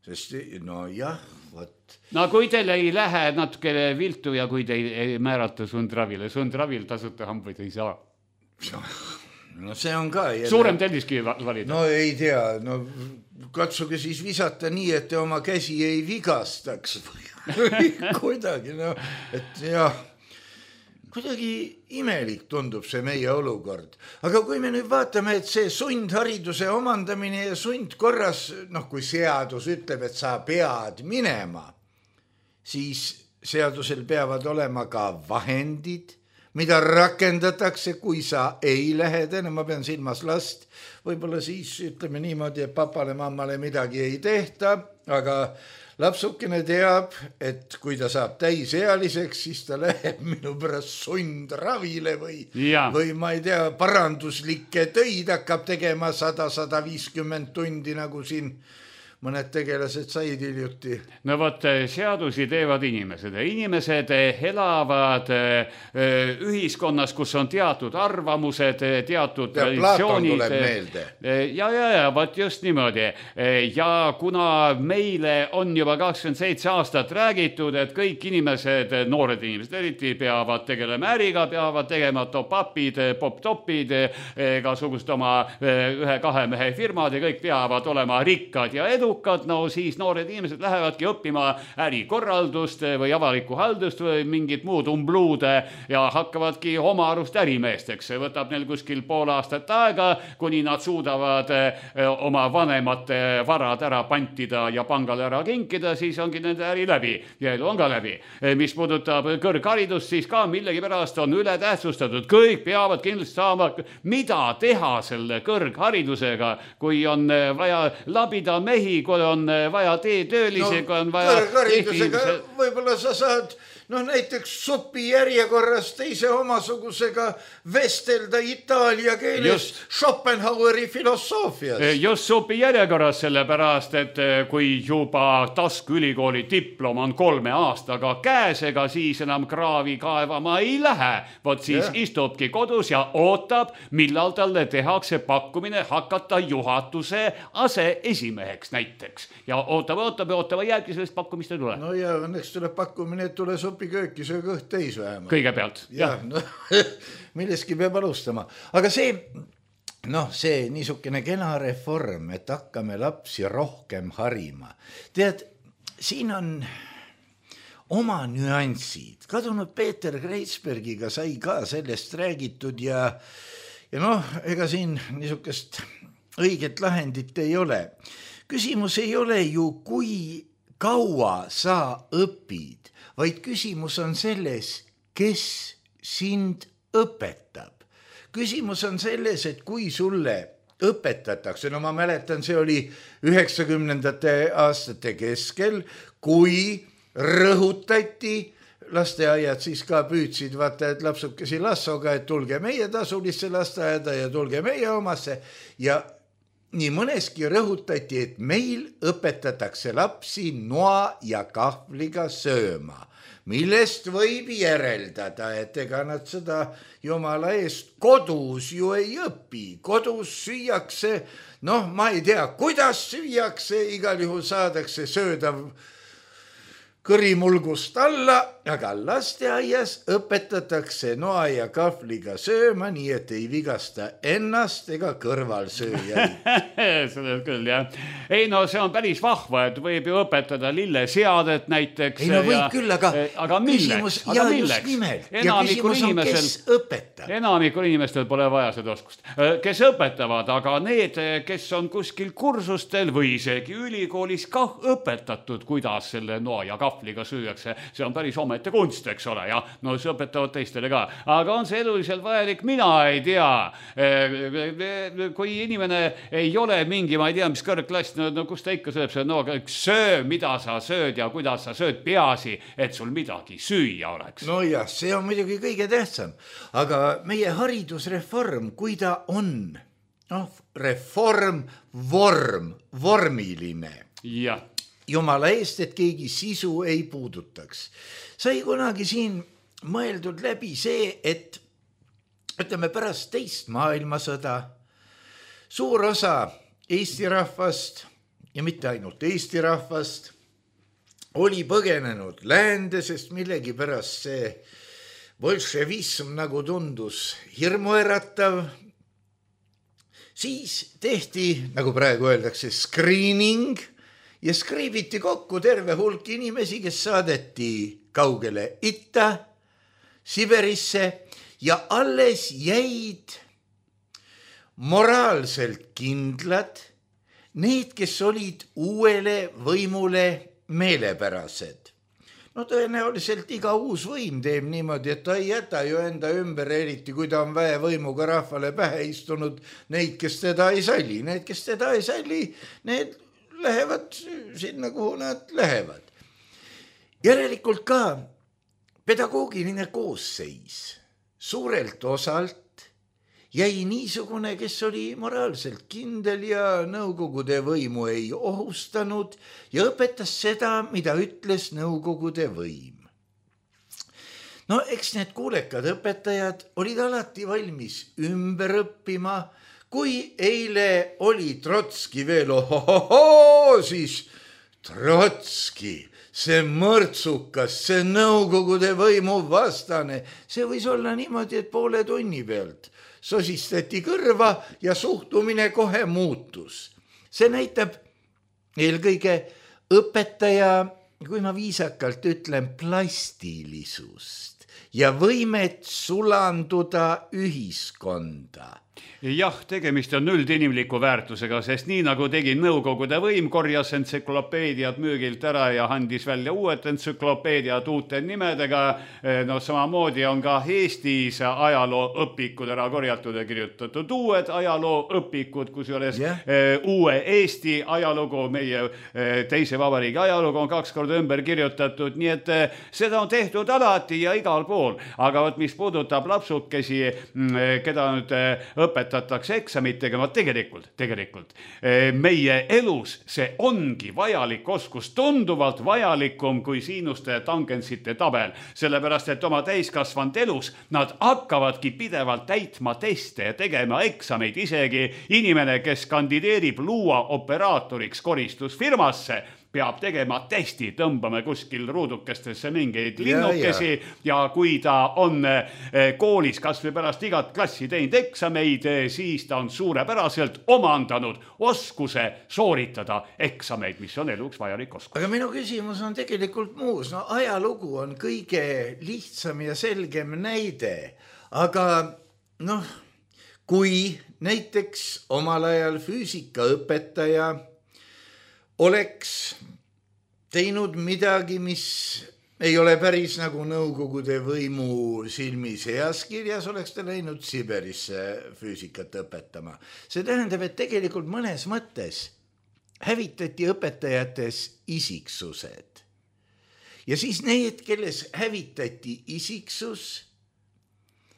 Sest, no jah, võt. No kui teil ei lähe natuke viltu ja kui te ei määrata sundravil tasuta hambaid ei saa. No see on ka jälle... Suurem telliskivi valida. No ei tea, no katsuge siis visata nii, et te oma käsi ei vigastaks. Kuidagi, no, et jah... Kuidagi imelik tundub see meie olukord. Aga kui me nüüd vaatame, et see sundhariduse omandamine ja sundkorras, noh, kui seadus ütleb, et sa pead minema, siis seadusel peavad olema ka vahendid, mida rakendatakse, kui sa ei lähe, ma pean silmas last, võib-olla siis ütleme niimoodi, et papale, mammale midagi ei tehta, aga lapsukene teab, et kui ta saab täisealiseks, siis ta läheb minu pärast sundravile või ma ei tea, paranduslikke töid hakkab tegema 100-150 tundi, nagu siin mõned tegelased said hiljuti. No võt, seadusi teevad inimesed. Inimesed elavad ühiskonnas, kus on teatud arvamused, teatud traditsioonid. Platon tuleb meelde. Ja, võt just niimoodi. Ja kuna meile on juba 27 aastat räägitud, et kõik inimesed, noored inimesed eriti, peavad tegelema äriga, peavad tegema top-upid, pop-topid, igasugust oma 1-2 mehe firmad ja kõik peavad olema rikkad ja edu. No siis noored inimesed lähevadki õppima ärikorraldust või avalikku haldust või mingit muud umbluude ja hakkavadki oma arust ärimeesteks. Võtab neil kuskil pool aastat aega, kuni nad suudavad oma vanemate varad ära pantida ja pangale ära kinkida, siis ongi nende äri läbi ja elu on ka läbi. Mis puudutab kõrgharidust, siis ka millegipärast on üle tähtsustatud. Kõik peavad kindlasti saama, mida teha selle kõrgharidusega, kui on vaja labida mehi, kui on vaja töölisega, kui on vaja... Kõrgharidusega võib-olla sa saad näiteks supi järjekorras teise omasugusega vestelda itaalia keeles Schopenhaueri filosoofias. Just supi järjekorras, sellepärast, et kui juba Tasku ülikooli diplom on 3 aastaga käes, ega siis enam kraavi kaevama ei lähe. Vot siis istubki kodus ja ootab, millal talle tehakse pakkumine hakata juhatuse aseesimeheks näiteks. Ja ootama jääbki sellest pakkumist ei tule. No ja õnneks tuleb pakkumine, et tule supikööki, söö kõht täis vähemalt. Kõigepealt, jah. No, milleski peab alustama. Aga see niisugune kena reform, et hakkame lapsi rohkem harima. Tead, siin on oma nüansid. Kadunud Peeter Kreitsbergiga sai ka sellest räägitud ja ega siin niisugust õiget lahendit ei ole. Küsimus ei ole ju, kui kaua sa õpid, vaid küsimus on selles, kes sind õpetab. Küsimus on selles, et kui sulle õpetatakse, ma mäletan, see oli 90. aastate keskel, kui rõhutati lasteaiad siis ka püüdsid, vaata, et lapsukesi lassoga, et tulge meie tasulisse lasteaeda ja tulge meie omasse ja nii mõneski rõhutati, et meil õpetatakse lapsi noa ja kahvliga sööma, millest võib järeldada, et ega nad seda jumala eest kodus ju ei õpi. Kodus süüakse, ma ei tea, kuidas süüakse, igal juhul saadakse söödav kõrimulgust alla, aga lasteaias õpetatakse noa ja kahvliga sööma, nii et ei vigasta ennast ega kõrvalsööjaid. Seda küll, jah. Ei no see on päris vahva, et võib ju õpetada lilleseadet näiteks. Ei no võib küll, aga milleks? Ja just nimelt. Ja küsimus on, kes õpetab. Enamikul inimestel pole vaja seda oskust. Kes õpetavad, aga need, kes on kuskil kursustel või isegi ülikoolis kah õpetatud, kuidas selle noa ja kahvliga süüakse, see on päris omete kunst, eks ole, ja no see õpetavad teistele ka, aga on see eluliselt vajalik, mina ei tea, kui inimene ei ole mingi, ma ei tea, mis kõrgklass, no kus ta ikka sööb, no söö, mida sa sööd ja kuidas sa sööd, peaasi, et sul midagi süüa oleks. No jah, see on muidugi kõige tähtsam, aga meie haridusreform, kui ta on, reform, vormiline. Jah. Jumala eest, et keegi sisu ei puudutaks. Sai kunagi siin mõeldud läbi see, et ütleme pärast teist maailmasõda suur osa Eesti rahvast ja mitte ainult Eesti rahvast oli põgenenud läände, sest millegipärast see bolševism nagu tundus hirmuäratav. Siis tehti, nagu praegu öeldakse, screening ja skriibiti kokku terve hulk inimesi, kes saadeti kaugele itta, Siberisse ja alles jäid moraalselt kindlad need, kes olid uuele võimule meelepärased. No tõenäoliselt iga uus võim teeb niimoodi, et ta ei jäta ju enda ümber, eriti kui ta on väevõimuga rahvale pähe istunud neid, kes teda ei salli. Need, kes teda ei salli, need lähevad sinna, kuhu nad lähevad. Järelikult ka pedagoogiline koosseis suurelt osalt jäi niisugune, kes oli moraalselt kindel ja nõukogude võimu ei ohustanud ja õpetas seda, mida ütles nõukogude võim. No eks need kuulekad õpetajad olid alati valmis ümber õppima. Kui eile oli Trotski veel, siis Trotski, see mõrtsukas, see nõukogude võimu vastane, see võis olla niimoodi, et poole tunni pealt sosistati kõrva ja suhtumine kohe muutus. See näitab eelkõige õpetaja, kui ma viisakalt ütlen, plastilisust ja võimet sulanduda ühiskonda. Jah, tegemist on üldinimliku väärtusega, sest nii nagu tegi nõukogude võim, korjas entsüklopeediad müügilt ära ja andis välja uued entsüklopeediad uute nimedega. No samamoodi on ka Eestis ajalooõpikud ära korjatud ja kirjutatud uued ajalooõpikud, kusjuures uue Eesti ajalugu, meie teise vabariigi ajalugu on 2 korda ümber kirjutatud, nii et seda on tehtud alati ja igal pool. Aga mis puudutab lapsukesi, keda nüüd õpetatakse eksamitega, ma tegelikult meie elus see ongi vajalik oskus, tunduvalt vajalikum kui siinuste ja tangensite tabel, sellepärast et oma täiskasvanud elus nad hakkavadki pidevalt täitma teste ja tegema eksameid, isegi inimene, kes kandideerib luua operaatoriks koristusfirmasse, peab tegema testi, tõmbame kuskil ruudukestesse mingeid linnukesi ja kui ta on koolis kas või pärast igat klassi teinud eksameid, siis ta on suurepäraselt omandanud oskuse sooritada eksameid, mis on eluks vajalik oskus. Aga minu küsimus on tegelikult muus. No ajalugu on kõige lihtsam ja selgem näide, aga kui näiteks omal ajal füüsikaõpetaja oleks teinud midagi, mis ei ole päris nagu nõukogude võimu silmis heas kirjas, oleks ta läinud Siberisse füüsikat õpetama. See tähendab, et tegelikult mõnes mõttes hävitati õpetajates isiksused. ja siis need, kelles hävitati isiksus,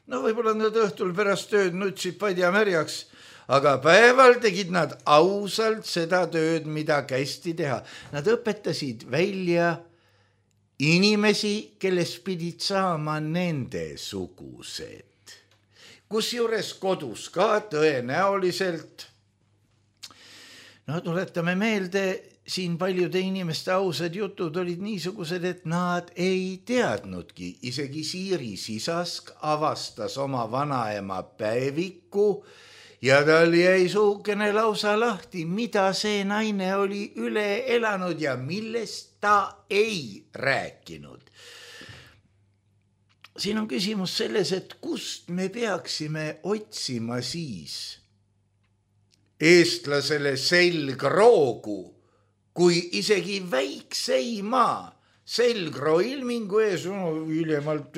no võib-olla nad õhtul pärast tööd nutsid padja märjaks, aga päeval tegid nad ausalt seda tööd, mida kästi teha. Nad õpetasid välja inimesi, kellest pidid saama nende sugused. Kusjuures kodus ka tõenäoliselt. No tuletame meelde, siin paljude inimeste ausad jutud olid niisugused, et nad ei teadnudki. Isegi Siiri Sisask avastas oma vanaema päeviku ja tal jäi suukene lausa lahti, mida see naine oli üle elanud ja millest ta ei rääkinud. Siin on küsimus selles, et kust me peaksime otsima siis eestlasele selgroogu, kui isegi väikseimaa selgroo ilmingu ees hiljemalt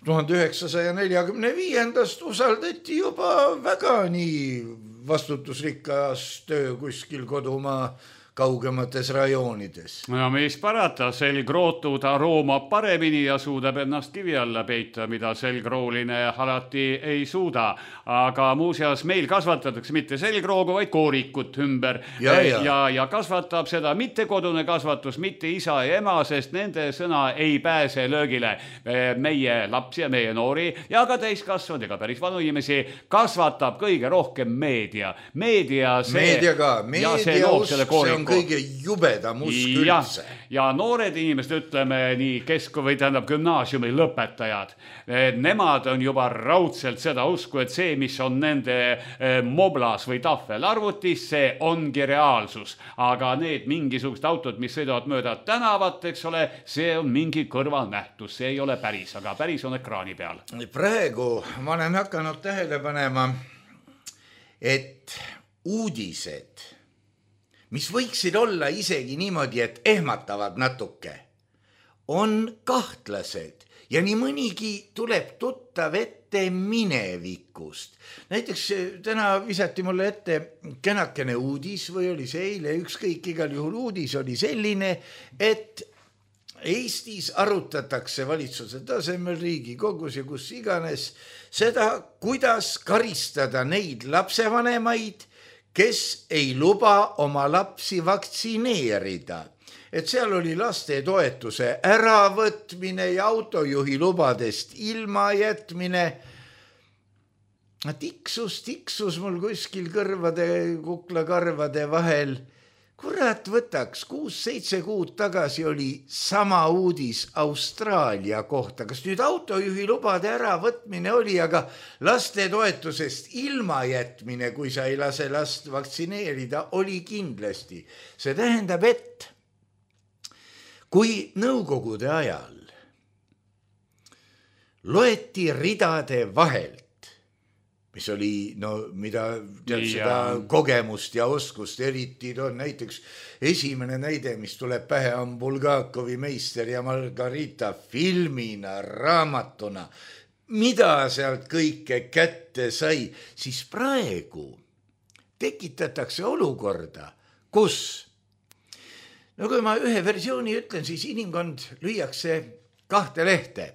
1945. Usaldati juba väga nii vastutusrikkas töö kuskil kodumaa kaugemates rajoonides. No mis parata, selgrootud aroomab paremini ja suudab ennast kivi alla peita, mida selgrooline alati ei suuda. Aga muuseas meil kasvatatakse mitte selgroogu, vaid koorikut ümber ja kasvatab seda mitte kodune kasvatus, mitte isa ja ema, sest nende sõna ei pääse löögile. Meie lapsi ja meie noori ja ka täiskasvanud ja ka päris vanu inimesi kasvatab kõige rohkem meedia. Meedia loob selle kooriku. Kõige jubedam usk üldse. Ja noored inimesed, ütleme nii või tähendab gümnaasiumi lõpetajad, nemad on juba raudselt seda usku, et see, mis on nende moblas või tahvel arvutis, see ongi reaalsus. Aga need mingisugused autod, mis sõidavad mööda tänavat, eks ole, see on mingi kõrvalnähtus, see ei ole päris, aga päris on ekraani peal. Praegu ma olen hakanud tähele panema, et uudised, mis võiksid olla isegi niimoodi, et ehmatavad natuke, on kahtlased ja nii mõnigi tuleb tuttav ette minevikust. Näiteks täna visati mulle ette kenakene uudis või oli see eile, ükskõik igal juhul uudis oli selline, et Eestis arutatakse valitsuse tasemel Riigikogus ja kus iganes seda, kuidas karistada neid lapsevanemaid, kes ei luba oma lapsi vaktsineerida. Et seal oli lastetoetuse äravõtmine ja autojuhi lubadest ilma jätmine. Tiksus mul kuskil kuklakarvade vahel. Kurat võtaks, 6-7 kuud tagasi oli sama uudis Austraalia kohta. Kas nüüd autojuhi lubade äravõtmine oli, aga lastetoetusest ilma jätmine, kui sa ei lase last vaktsineerida, oli kindlasti. See tähendab, et kui nõukogude ajal loeti ridade vahelt, mis oli, mida seda kogemust ja oskust eriti on näiteks esimene näide, mis tuleb pähe, on Bulgakovi Meister ja Margarita filmina, raamatuna, mida sealt kõike kätte sai, siis praegu tekitatakse olukorda, kus, kui ma ühe versiooni ütlen, siis inimkond lüüakse 2 lehte.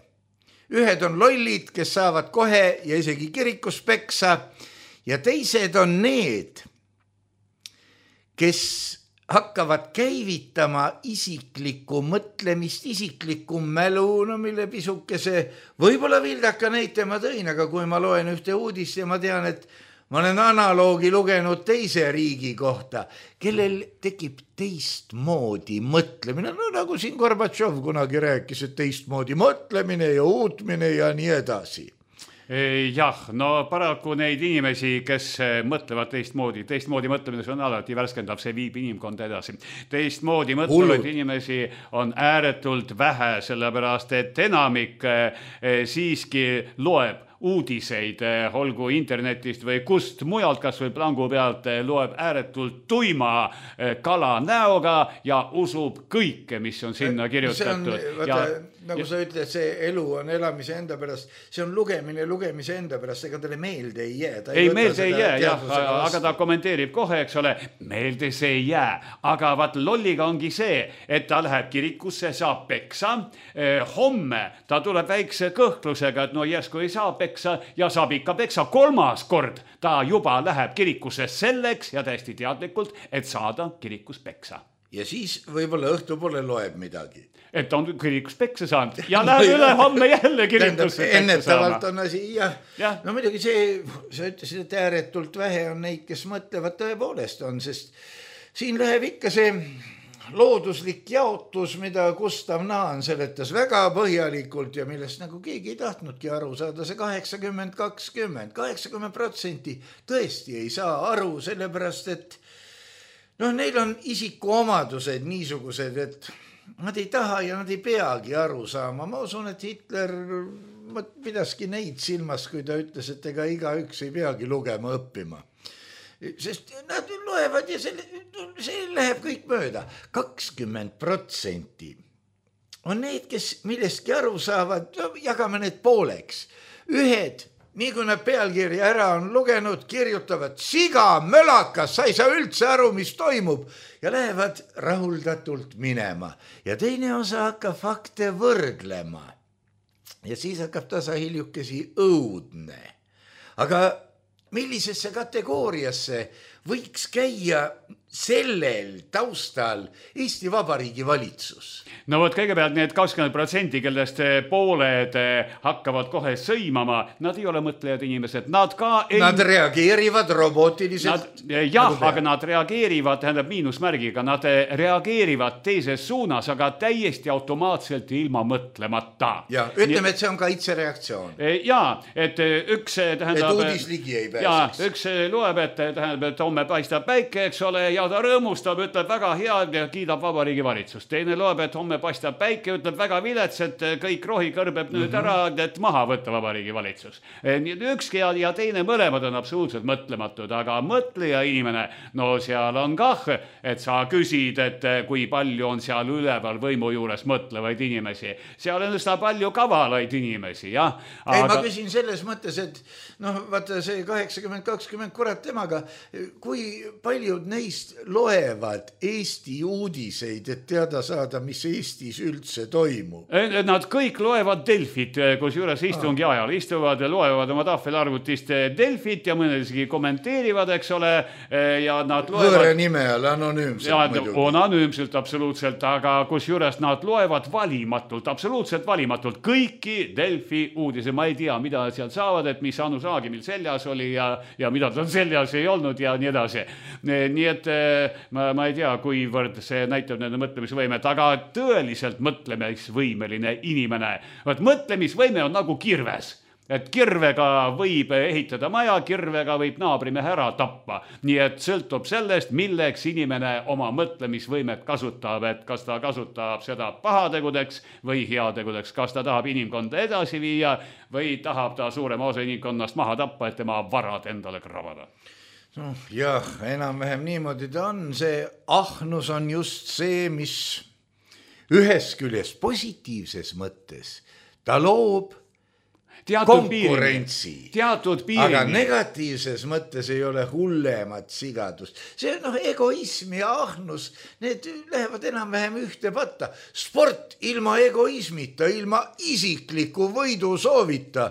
Ühed on lollid, kes saavad kohe ja isegi kirikus peksa ja teised on need, kes hakkavad käivitama isiklikku mõtlemist, isiklikku mälu, mille pisukese võib-olla vildaka näite ma tõin, aga kui ma loen ühte uudist ja ma tean, et ma olen analoogi lugenud teise riigi kohta, kellel tekib teistmoodi mõtlemine, nagu siin Gorbatšov kunagi rääkis, et teistmoodi mõtlemine ja uutmine ja nii edasi. Jah, paraku neid inimesi, kes mõtlevad teistmoodi mõtlemine, see on alati värskendav, see viib inimkonda edasi. Teistmoodi mõtlevaid inimesi on ääretult vähe, sellepärast et enamik siiski loeb uudiseid, olgu internetist või kust mujalt, kas või plangu pealt, loeb ääretult tuima kala näoga ja usub kõike, mis on sinna kirjutatud. Nagu sa ütled, see elu on elamise enda pärast, see on lugemise enda pärast, ega talle meelde ei jää. Ei, meelde ei jää, jah, aga ta kommenteerib kohe, eks ole, meelde see ei jää. Aga vaat lolliga ongi see, et ta läheb kirikusse, saab peksa. Homme ta tuleb väikse kõhklusega, et no järsku ei saa peksa ja saab ikka peksa 3. kord. Ta juba läheb kirikusse selleks ja täiesti teadlikult, et saada kirikus peksa. Ja siis võib-olla õhtupoole loeb midagi. Et on kirikus peksa saanud ja läheb üle homme jälle kirikusse peksa ennetavalt on asi, jah. No muidugi see, sa ütlesid, et ääretult vähe on neid, kes mõtlevad tõepoolest on, sest siin läheb ikka see looduslik jaotus, mida Gustav Naan seletas väga põhjalikult ja millest nagu keegi ei tahtnudki aru saada, see 80-20, 80% tõesti ei saa aru, sellepärast et neil on isikuomadused niisugused, et nad ei taha ja nad ei peagi aru saama. Ma usun, et Hitler pidaski neid silmas, kui ta ütles, et ega igaüks ei peagi lugema õppima. Sest nad loevad ja see läheb kõik mööda. 20% on need, kes millestki aru saavad, jagame need pooleks. Ühed, nii kui nad pealkirja ära on lugenud, kirjutavad siga, mölakas, sa ei saa üldse aru, mis toimub ja lähevad rahuldatult minema. Ja teine osa hakkab fakte võrdlema ja siis hakkab tasahiljukesi õudne. Aga millisesse kategooriasse võiks käia sellel taustal Eesti Vabariigi valitsus? No võt kõigepealt need 20%, kellest pooled hakkavad kohe sõimama, nad ei ole mõtlejad inimesed, nad ka ei... Nad reageerivad robootiliselt. Jah, aga nad reageerivad, tähendab miinusmärgiga, nad reageerivad teises suunas, aga täiesti automaatselt ilma mõtlemata. Ja, ütleme, et see on kaitsereaktsioon. Jaa, et üks tähendab... Et uudis ligi ei pääseks. Jaa, üks loeb, et tähendab, et homme paistab päike, eks ole, ja ta rõõmustab, ütleb väga hea ja kiidab Vabariigi valitsust. Teine loeb, et homme paistab päike, ütleb väga vilets, et kõik rohi kõrbeb nüüd ära, et maha võtta Vabariigi valitsus. Ükski ja teine mõlemad on absoluutselt mõtlematud, aga mõtleja inimene, no seal on kah, et sa küsid, et kui palju on seal üleval võimu juures mõtlevaid inimesi. Seal on üsna palju kavalaid inimesi, jah. Ei, ma küsin selles mõttes, et vaata see 80-20 kurat temaga, kui paljud neist loevad Eesti uudiseid, et teada saada, mis Eestis üldse toimub? Nad kõik loevad Delfit, kus juures istungi ajal istuvad, loevad oma tahvelarvutist Delfit ja mõned isegi kommenteerivad, eks ole, ja nad loevad... Võõre nime all, anonüümselt muidugi. On anonüümselt absoluutselt, aga kus juures nad loevad valimatult, absoluutselt valimatult kõiki Delfi uudise. Ma ei tea, mida nad seal saavad, et mis Anu Saagimil seljas oli ja mida tal seljas ei olnud ja nii edasi. Nii et ma ei tea, kuivõrd see näitab nende mõtlemisvõimet, aga tõeliselt mõtlemisvõimeline inimene. Mõtlemisvõime on nagu kirves. Et kirvega võib ehitada maja, kirvega võib naabrimehe ära tappa. Nii et sõltub sellest, milleks inimene oma mõtlemisvõimet kasutab, et kas ta kasutab seda pahategudeks või heategudeks, kas ta tahab inimkonda edasi viia või tahab ta suurema osa inimkonnast maha tappa, et tema varad endale krabada. Jah, enam-vähem niimoodi ta on. See ahnus on just see, mis ühes küljes positiivses mõttes ta loob konkurentsi. Aga negatiivses mõttes ei ole hullemat sigadust. See egoism ja ahnus, need lähevad enam-vähem ühte patta. Sport ilma egoismita, ilma isikliku võidu soovita.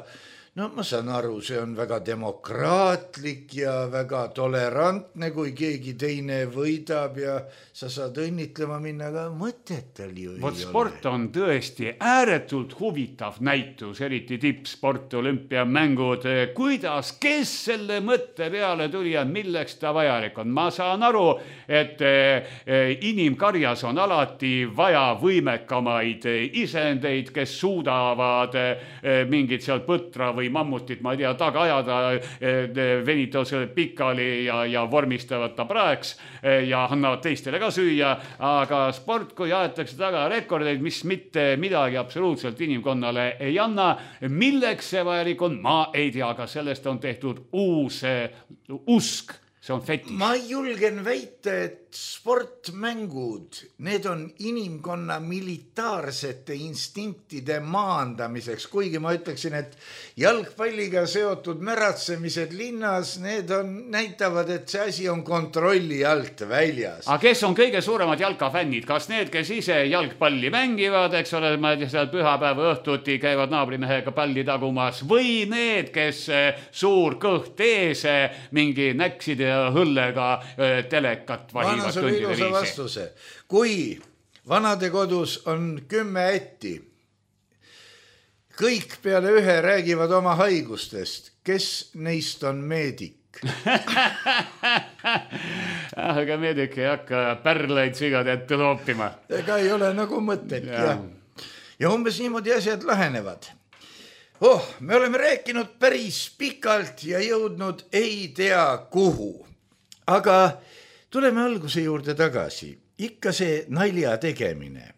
Ma saan aru, see on väga demokraatlik ja väga tolerantne, kui keegi teine võidab ja sa saad õnnitlema minna, aga mõtetel ju ei ole. Sport on tõesti ääretult huvitav näitus, eriti tippsport, olümpiamängud. Kuidas, kes selle mõtte peale tuli ja milleks ta vajalik on? Ma saan aru, et inimkarjas on alati vaja võimekamaid isendeid, kes suudavad mingit seal põtra või või mammutit, ma ei tea, taga ajada, venitavad selle pikali ja vormistavad ta praeks ja annavad teistele ka süüa, aga sport, kui aetakse taga rekordeid, mis mitte midagi absoluutselt inimkonnale ei anna, milleks see vajalik on, ma ei tea, aga sellest on tehtud uus usk. See on fetiš. Ma julgen väita, et sportmängud, need on inimkonna militaarsete instinktide maandamiseks, kuigi ma ütleksin, et jalgpalliga seotud märatsemised linnas, need näitavad, et see asi on kontrolli alt väljas. Aga kes on kõige suuremad jalkafännid? Kas need, kes ise jalgpalli mängivad, eks ole, ma ei tea, seal pühapäeva õhtuti käivad naabrimehega palli tagumas, või need, kes suur kõht ees mingi näkside hõllega telekat vahivad tundide viisi. Vastuse. Kui vanadekodus on 10 ätti, kõik peale ühe räägivad oma haigustest, kes neist on meedik? Aga meedik ei hakka pärleid sigade ette loopima. Ega ei ole nagu mõtet. Ja umbes niimoodi asjad lahenevad. Me oleme rääkinud päris pikalt ja jõudnud ei tea kuhu. Aga tuleme alguse juurde tagasi. Ikka see nalja tegemine.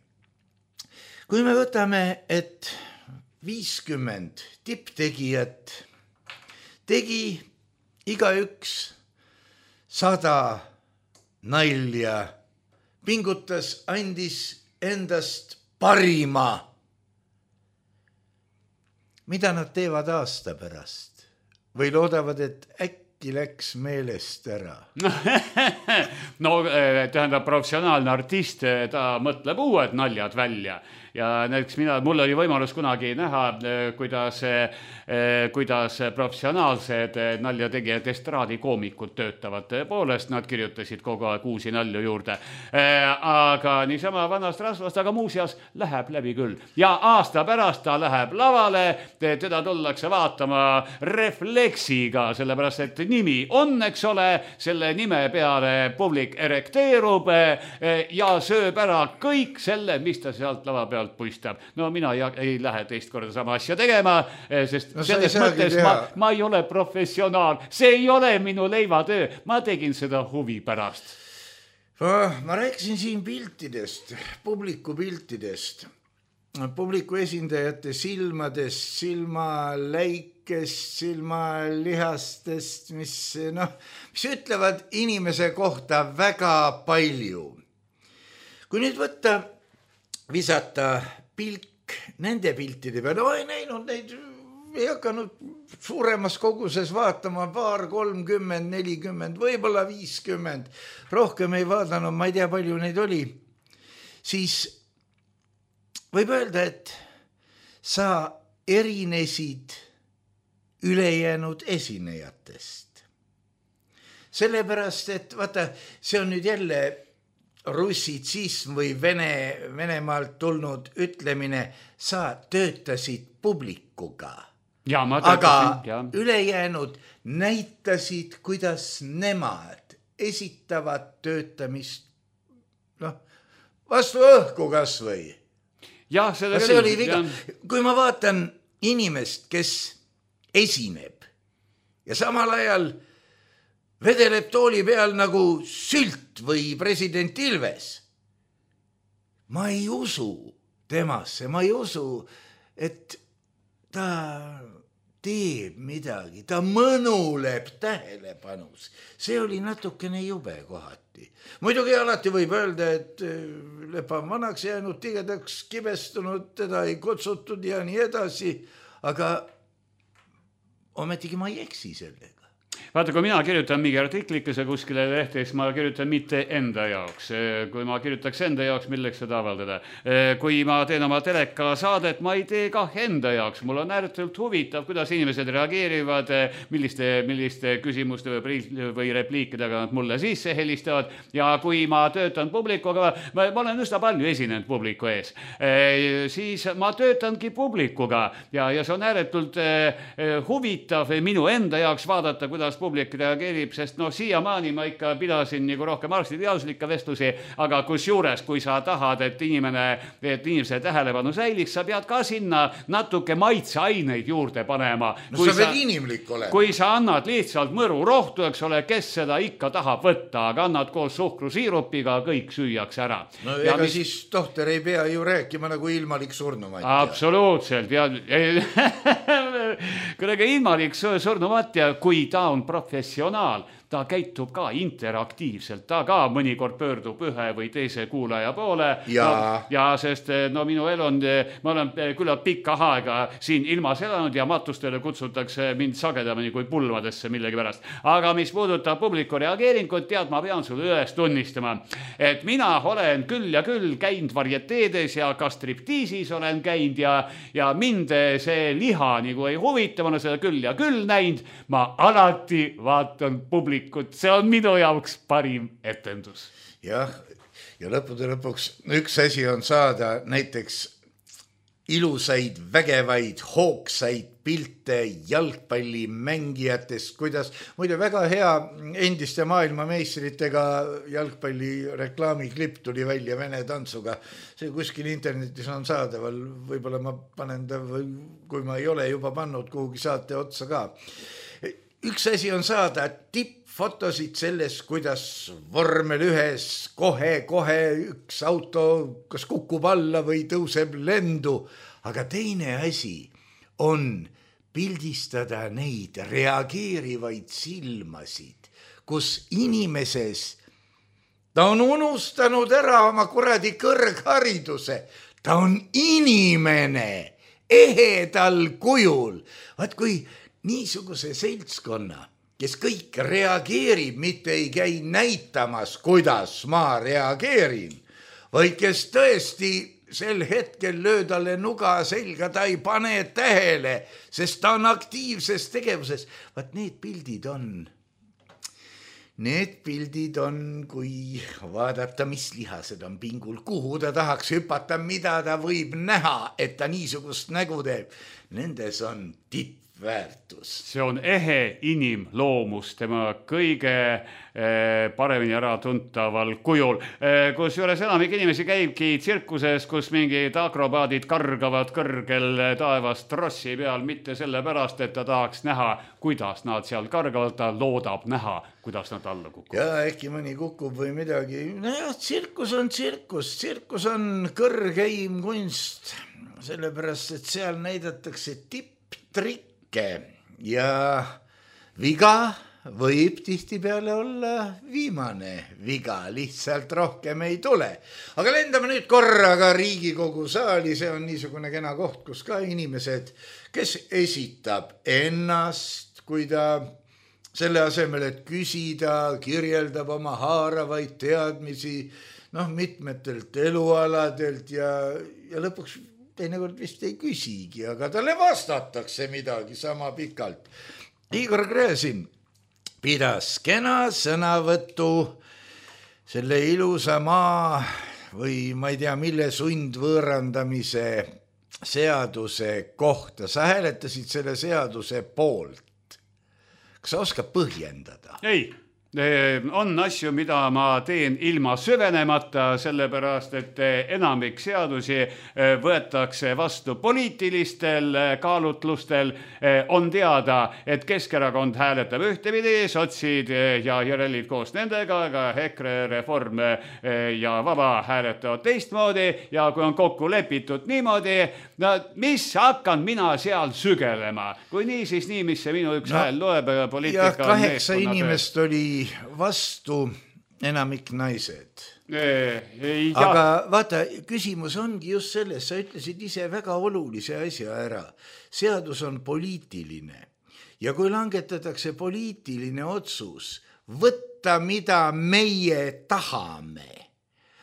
Kui me võtame, et 50 tipptegijat tegi igaüks 100 nalja, pingutas, andis endast parima. Mida nad teevad aasta pärast? Või loodavad, et äkki läks meelest ära? No tähendab, professionaalne artist, ta mõtleb uued naljad välja ja näiteks mul oli võimalus kunagi näha, kuidas professionaalsed naljategijad, estraadikoomikud töötavad. Tõepoolest, nad kirjutasid kogu aeg uusi nalju juurde. Aga niisama vanast rasvast, aga muuseas läheb läbi küll. Ja aasta pärast ta läheb lavale, teda tullakse vaatama refleksiga, sellepärast et nimi on, eks ole, selle nime peale publik erekteerub ja sööb ära kõik selle, mis ta sealt lava pealt puistab. No mina ei lähe teist korda sama asja tegema, sest selles mõttes ma ei ole professionaal. See ei ole minu leivatöö. Ma tegin seda huvi pärast. Ma rääkisin siin piltidest, publiku piltidest, publiku esindajate silmadest, silmaläikest, silmalihastest, mis ütlevad inimese kohta väga palju. Kui nüüd võtta, visata pilk nende piltide peale, ei näinud neid, ei hakanud suuremas koguses vaatama, 30, 40, võib-olla 50, rohkem ei vaadanud, ma ei tea, palju neid oli, siis võib öelda, et sa erinesid ülejäänud esinejatest. Sellepärast, et vaata, see on nüüd jälle russitsism või Venemaalt tulnud ütlemine, sa töötasid publikuga. Ja, aga ülejäänud näitasid, kuidas nemad esitavad töötamist vastu õhku kas või. Ja, see oli viga. Kui ma vaatan inimest, kes esineb ja samal ajal vedeleb tooli peal nagu sült või president Ilves. Ma ei usu temasse, ma ei usu, et ta teeb midagi, ta mõnuleb tähelepanus. See oli natukene jube kohati. Muidugi alati võib öelda, et Lepa on vanaks jäänud, tigedaks kibestunud, teda ei kutsutud ja nii edasi, aga ometigi ma ei eksi sellega. Vaata, kui mina kirjutan mingi artiklikese kuskile lehte, siis ma kirjutan mitte enda jaoks. Kui ma kirjutaks enda jaoks, milleks seda avaldada. Kui ma teen oma teleka saadet, ma ei tee kah enda jaoks. Mul on ääretult huvitav, kuidas inimesed reageerivad, milliste küsimuste või repliikidega nad mulle sisse helistavad. Ja kui ma töötan publikuga, ma olen üsna palju esinenud publiku ees, siis ma töötangi publikuga ja see on ääretult huvitav minu enda jaoks vaadata, kuidas publik reageerib, sest siiamaani ma ikka pidasin nagu rohkem arstiteaduslikke vestlusi, aga kusjuures, kui sa tahad, et inimese tähelepanu säiliks, sa pead ka sinna natuke maitseaineid juurde panema. Sa pead inimlik olema. Kui sa annad lihtsalt mõru rohtu, eks ole, kes seda ikka tahab võtta, aga annad koos suhkrusiirupiga, kõik süüaks ära. No ega siis tohter ei pea ju rääkima nagu ilmalik surnumatja. Absoluutselt. Kuidagi ilmalik surnumatja, kui ta on professionaal, ta käitub ka interaktiivselt, ta ka mõnikord pöördub ühe või teise kuulaja poole. Ja sest minu elu on, ma olen küllalt pikka aega siin ilmas elanud ja matustele kutsutakse mind sagedamini kui pulvadesse millegi pärast. Aga mis puudutab publiku reageeringut, tead, ma pean sulle üles tunnistama, et mina olen küll ja küll käinud varieteedes ja ka striptiisis olen käinud ja mind see liha nagu ei huvita, ma olen seda küll ja küll näinud, ma alati vaatan publiku. See on minu jaoks parim etendus. Jah, ja lõppude lõpuks üks asi on saada näiteks ilusaid, vägevaid, hoogsaid pilte jalgpallimängijatest, kuidas muide väga hea endiste maailmameistritega jalgpalli reklaamiklipp tuli välja Vene tantsuga. See kuskil internetis on saadaval, võib-olla ma panen ta, kui ma ei ole juba pannud kuhugi saate otsa ka. Üks asi on saada tippfotosid sellest, kuidas vormel ühes kohe üks auto kas kukub alla või tõuseb lendu, aga teine asi on pildistada neid reageerivaid silmasid, kus inimeses ta on unustanud ära oma kuradi kõrghariduse, ta on inimene ehedal kujul. Vaat kui niisuguse seltskonna, kes kõik reageerib, mitte ei käi näitamas, kuidas ma reageerin, vaid kes tõesti sel hetkel löö talle nuga selga, ta ei pane tähele, sest ta on aktiivses tegevuses. Vaat need pildid on, kui vaadata, mis lihased on pingul, kuhu ta tahaks hüpata, mida ta võib näha, et ta niisugust nägu teeb. Nendes on väärtus. See on ehe inimloomus tema kõige paremini ära tuntaval kujul. Kusjuures enamik inimesi käibki tsirkuses, kus mingid akrobaadid kargavad kõrgel taevas trossi peal, mitte sellepärast, et ta tahaks näha, kuidas nad seal kargavad, ta loodab näha, kuidas nad alla kukuvad. Ja äkki mõni kukub või midagi. Nojah, tsirkus on tsirkus. Tsirkus on kõrgeim kunst, sellepärast, et seal näidatakse tipptrikke ja viga võib tihtipeale olla viimane viga, lihtsalt rohkem ei tule. Aga lendame nüüd korraga Riigikogu saali, see on niisugune kena koht, kus ka inimesed, kes esitab ennast, kui ta selle asemel, et küsida, kirjeldab oma haaravaid teadmisi, mitmetelt elualadelt ja lõpuks teinekord vist ei küsigi, aga talle vastatakse midagi sama pikalt. Igor Gräzin pidas kena sõnavõttu selle ilusa maa või ma ei tea, mille sundvõõrandamise seaduse kohta. Sa hääletasid selle seaduse poolt. Kas sa oskad põhjendada? Ei. On asju, mida ma teen ilma süvenemata, sellepärast, et enamik seadusi võetakse vastu poliitilistel kaalutlustel. On teada, et Keskerakond hääletab ühtepidi, sotsid ja järelid koos nendega, aga EKRE, Reform ja Vaba hääletavad teistmoodi ja kui on kokku lepitud niimoodi, mis hakkan mina seal sügelema? Kui nii, siis nii, mis see minu üks hääl loeb, poliitika on 8 inimest oli vastu, enamik naised. Aga vaata, küsimus ongi just selles, sa ütlesid ise väga olulise asja ära. Seadus on poliitiline ja kui langetatakse poliitiline otsus, võtta mida meie tahame.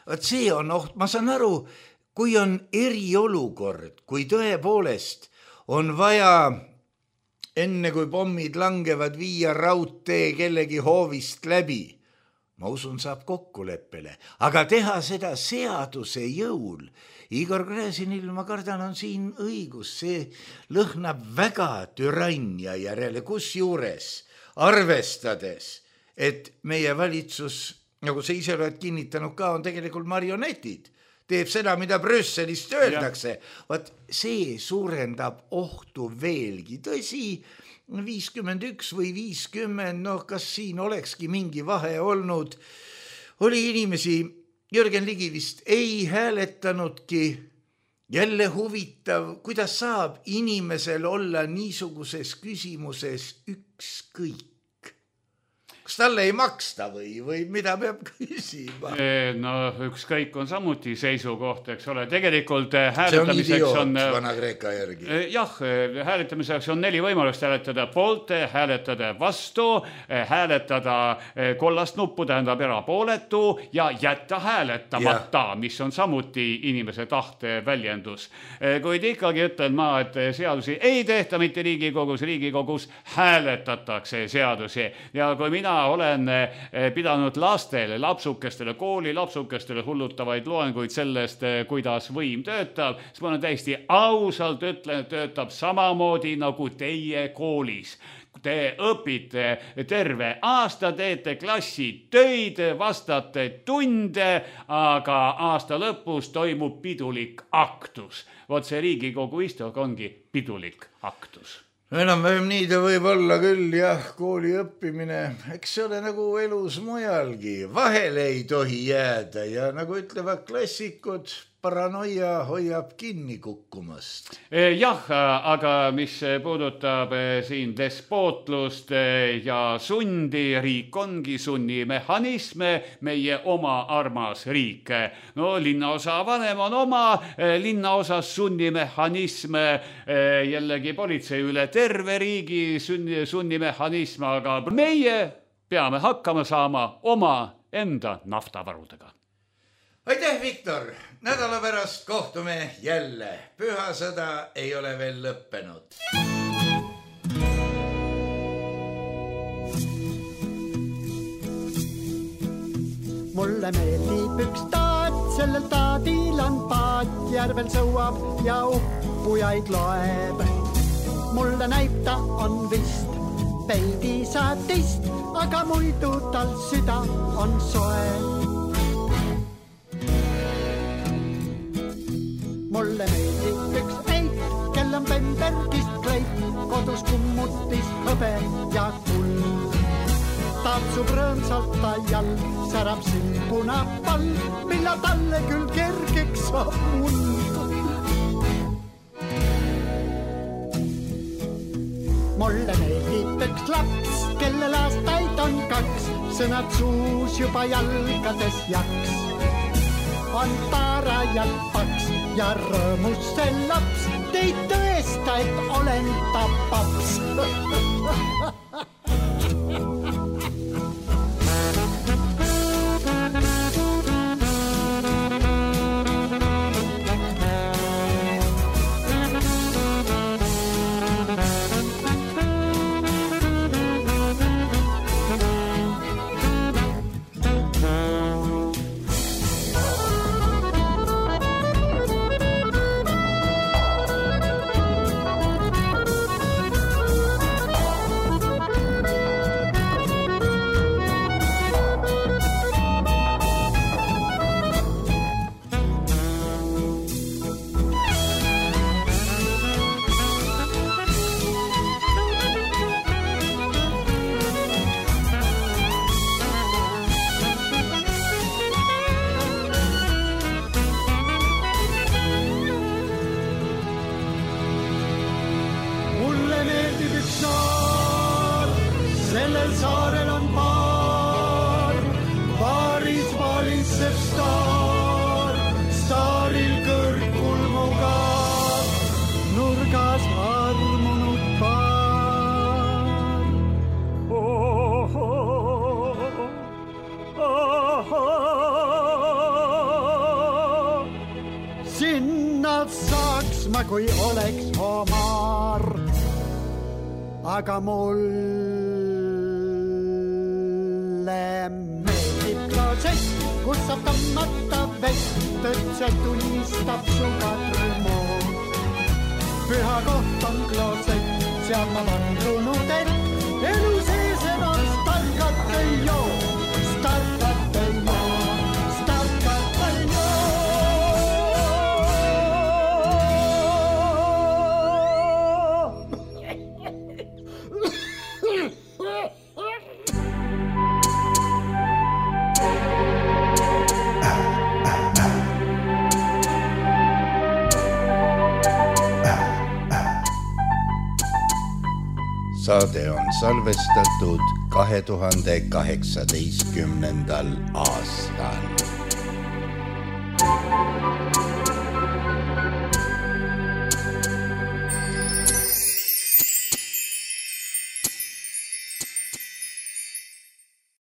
Vaat see on oht, ma saan aru, kui on eriolukord, kui tõepoolest on vaja enne kui pommid langevad viia raudtee kellegi hoovist läbi. Ma usun, saab kokkuleppele, aga teha seda seaduse jõul. Igor Gräzinil, ma kardan, on siin õigus, see lõhnab väga türannia järele, kus juures arvestades, et meie valitsus, nagu sa ise oled kinnitanud ka, on tegelikult marionetid, teeb seda, mida Brüsselist öeldakse. Vaat see suurendab ohtu veelgi. Tõsi, 51 või 50, kas siin olekski mingi vahe olnud. Oli inimesi, Jürgen Ligi vist ei hääletanudki. Jälle huvitav, kuidas saab inimesel olla niisuguses küsimuses ükskõik. Kas talle ei maksta või mida peab küsima? No ükskõik on samuti seisukoht, eks ole. Tegelikult see on idioot Vana-Kreeka järgi. Jah, hääletamiseks on 4 võimalust: hääletada poolt, hääletada vastu, hääletada kollast nuppu, tähendab erapooletu ja jätta hääletamata, mis on samuti inimese tahte väljendus. Kuid ikkagi ütlen ma, et seadusi ei tehta mitte Riigikogus hääletatakse seadusi. Ja kui mina olen pidanud lastele, lapsukestele, kooli lapsukestele hullutavaid loenguid sellest, kuidas võim töötab, siis ma olen täiesti ausalt ütlen, et töötab samamoodi nagu teie koolis. Te õpite terve aasta, teete klassi töid, vastate tunde, aga aasta lõpus toimub pidulik aktus. Vot see Riigikogu istung ongi pidulik aktus. Enam-vähem nii ta võib olla küll, jah, kooli õppimine, eks see ole nagu elus mujalgi, vahele ei tohi jääda ja nagu ütlevad klassikud, paranoia hoiab kinni kukkumast. Jah, aga mis puudutab siin despootlust ja sundi, riik ongi sunnimehhanisme, meie oma armas riik. No linnaosa vanem on oma, linnaosas sunnimehhanisme, jällegi politsei üle terve riigi sunnimehhanism, aga meie peame hakkama saama oma enda naftavarudega. Aitäh, Viktor! Nädala pärast kohtume jälle. Pühasõda ei ole veel lõppenud. Mulle meeldib üks taat, sellel taadil on paat, järvel sõuab ja uppujaid loeb. Mulle näib ta on vist veidi sadist, aga muidu tal süda on soe. Mulle meeldib üks eit, kel on Bembergist kleit, kodus kummutis hõbe ja kuld. Tatsub rõõmsalt ta jall, särab silpuna pall, milla talle küll kergeks saab muld. Mulle meeldib üks laps, kellel aastaid on 2, sõnad suus juba jalgades jaks. On taarajalt paks ja rõõmus see laps, teid tõesta, et olen ta paps. Kui oleks homar, aga mulle meeldib kloosett, kus saab tammata vett, et see tunnistab suga trümo. Püha koht on kloosett, seal ma vandrunud, et elu sees Saade on salvestatud 2018. aastal.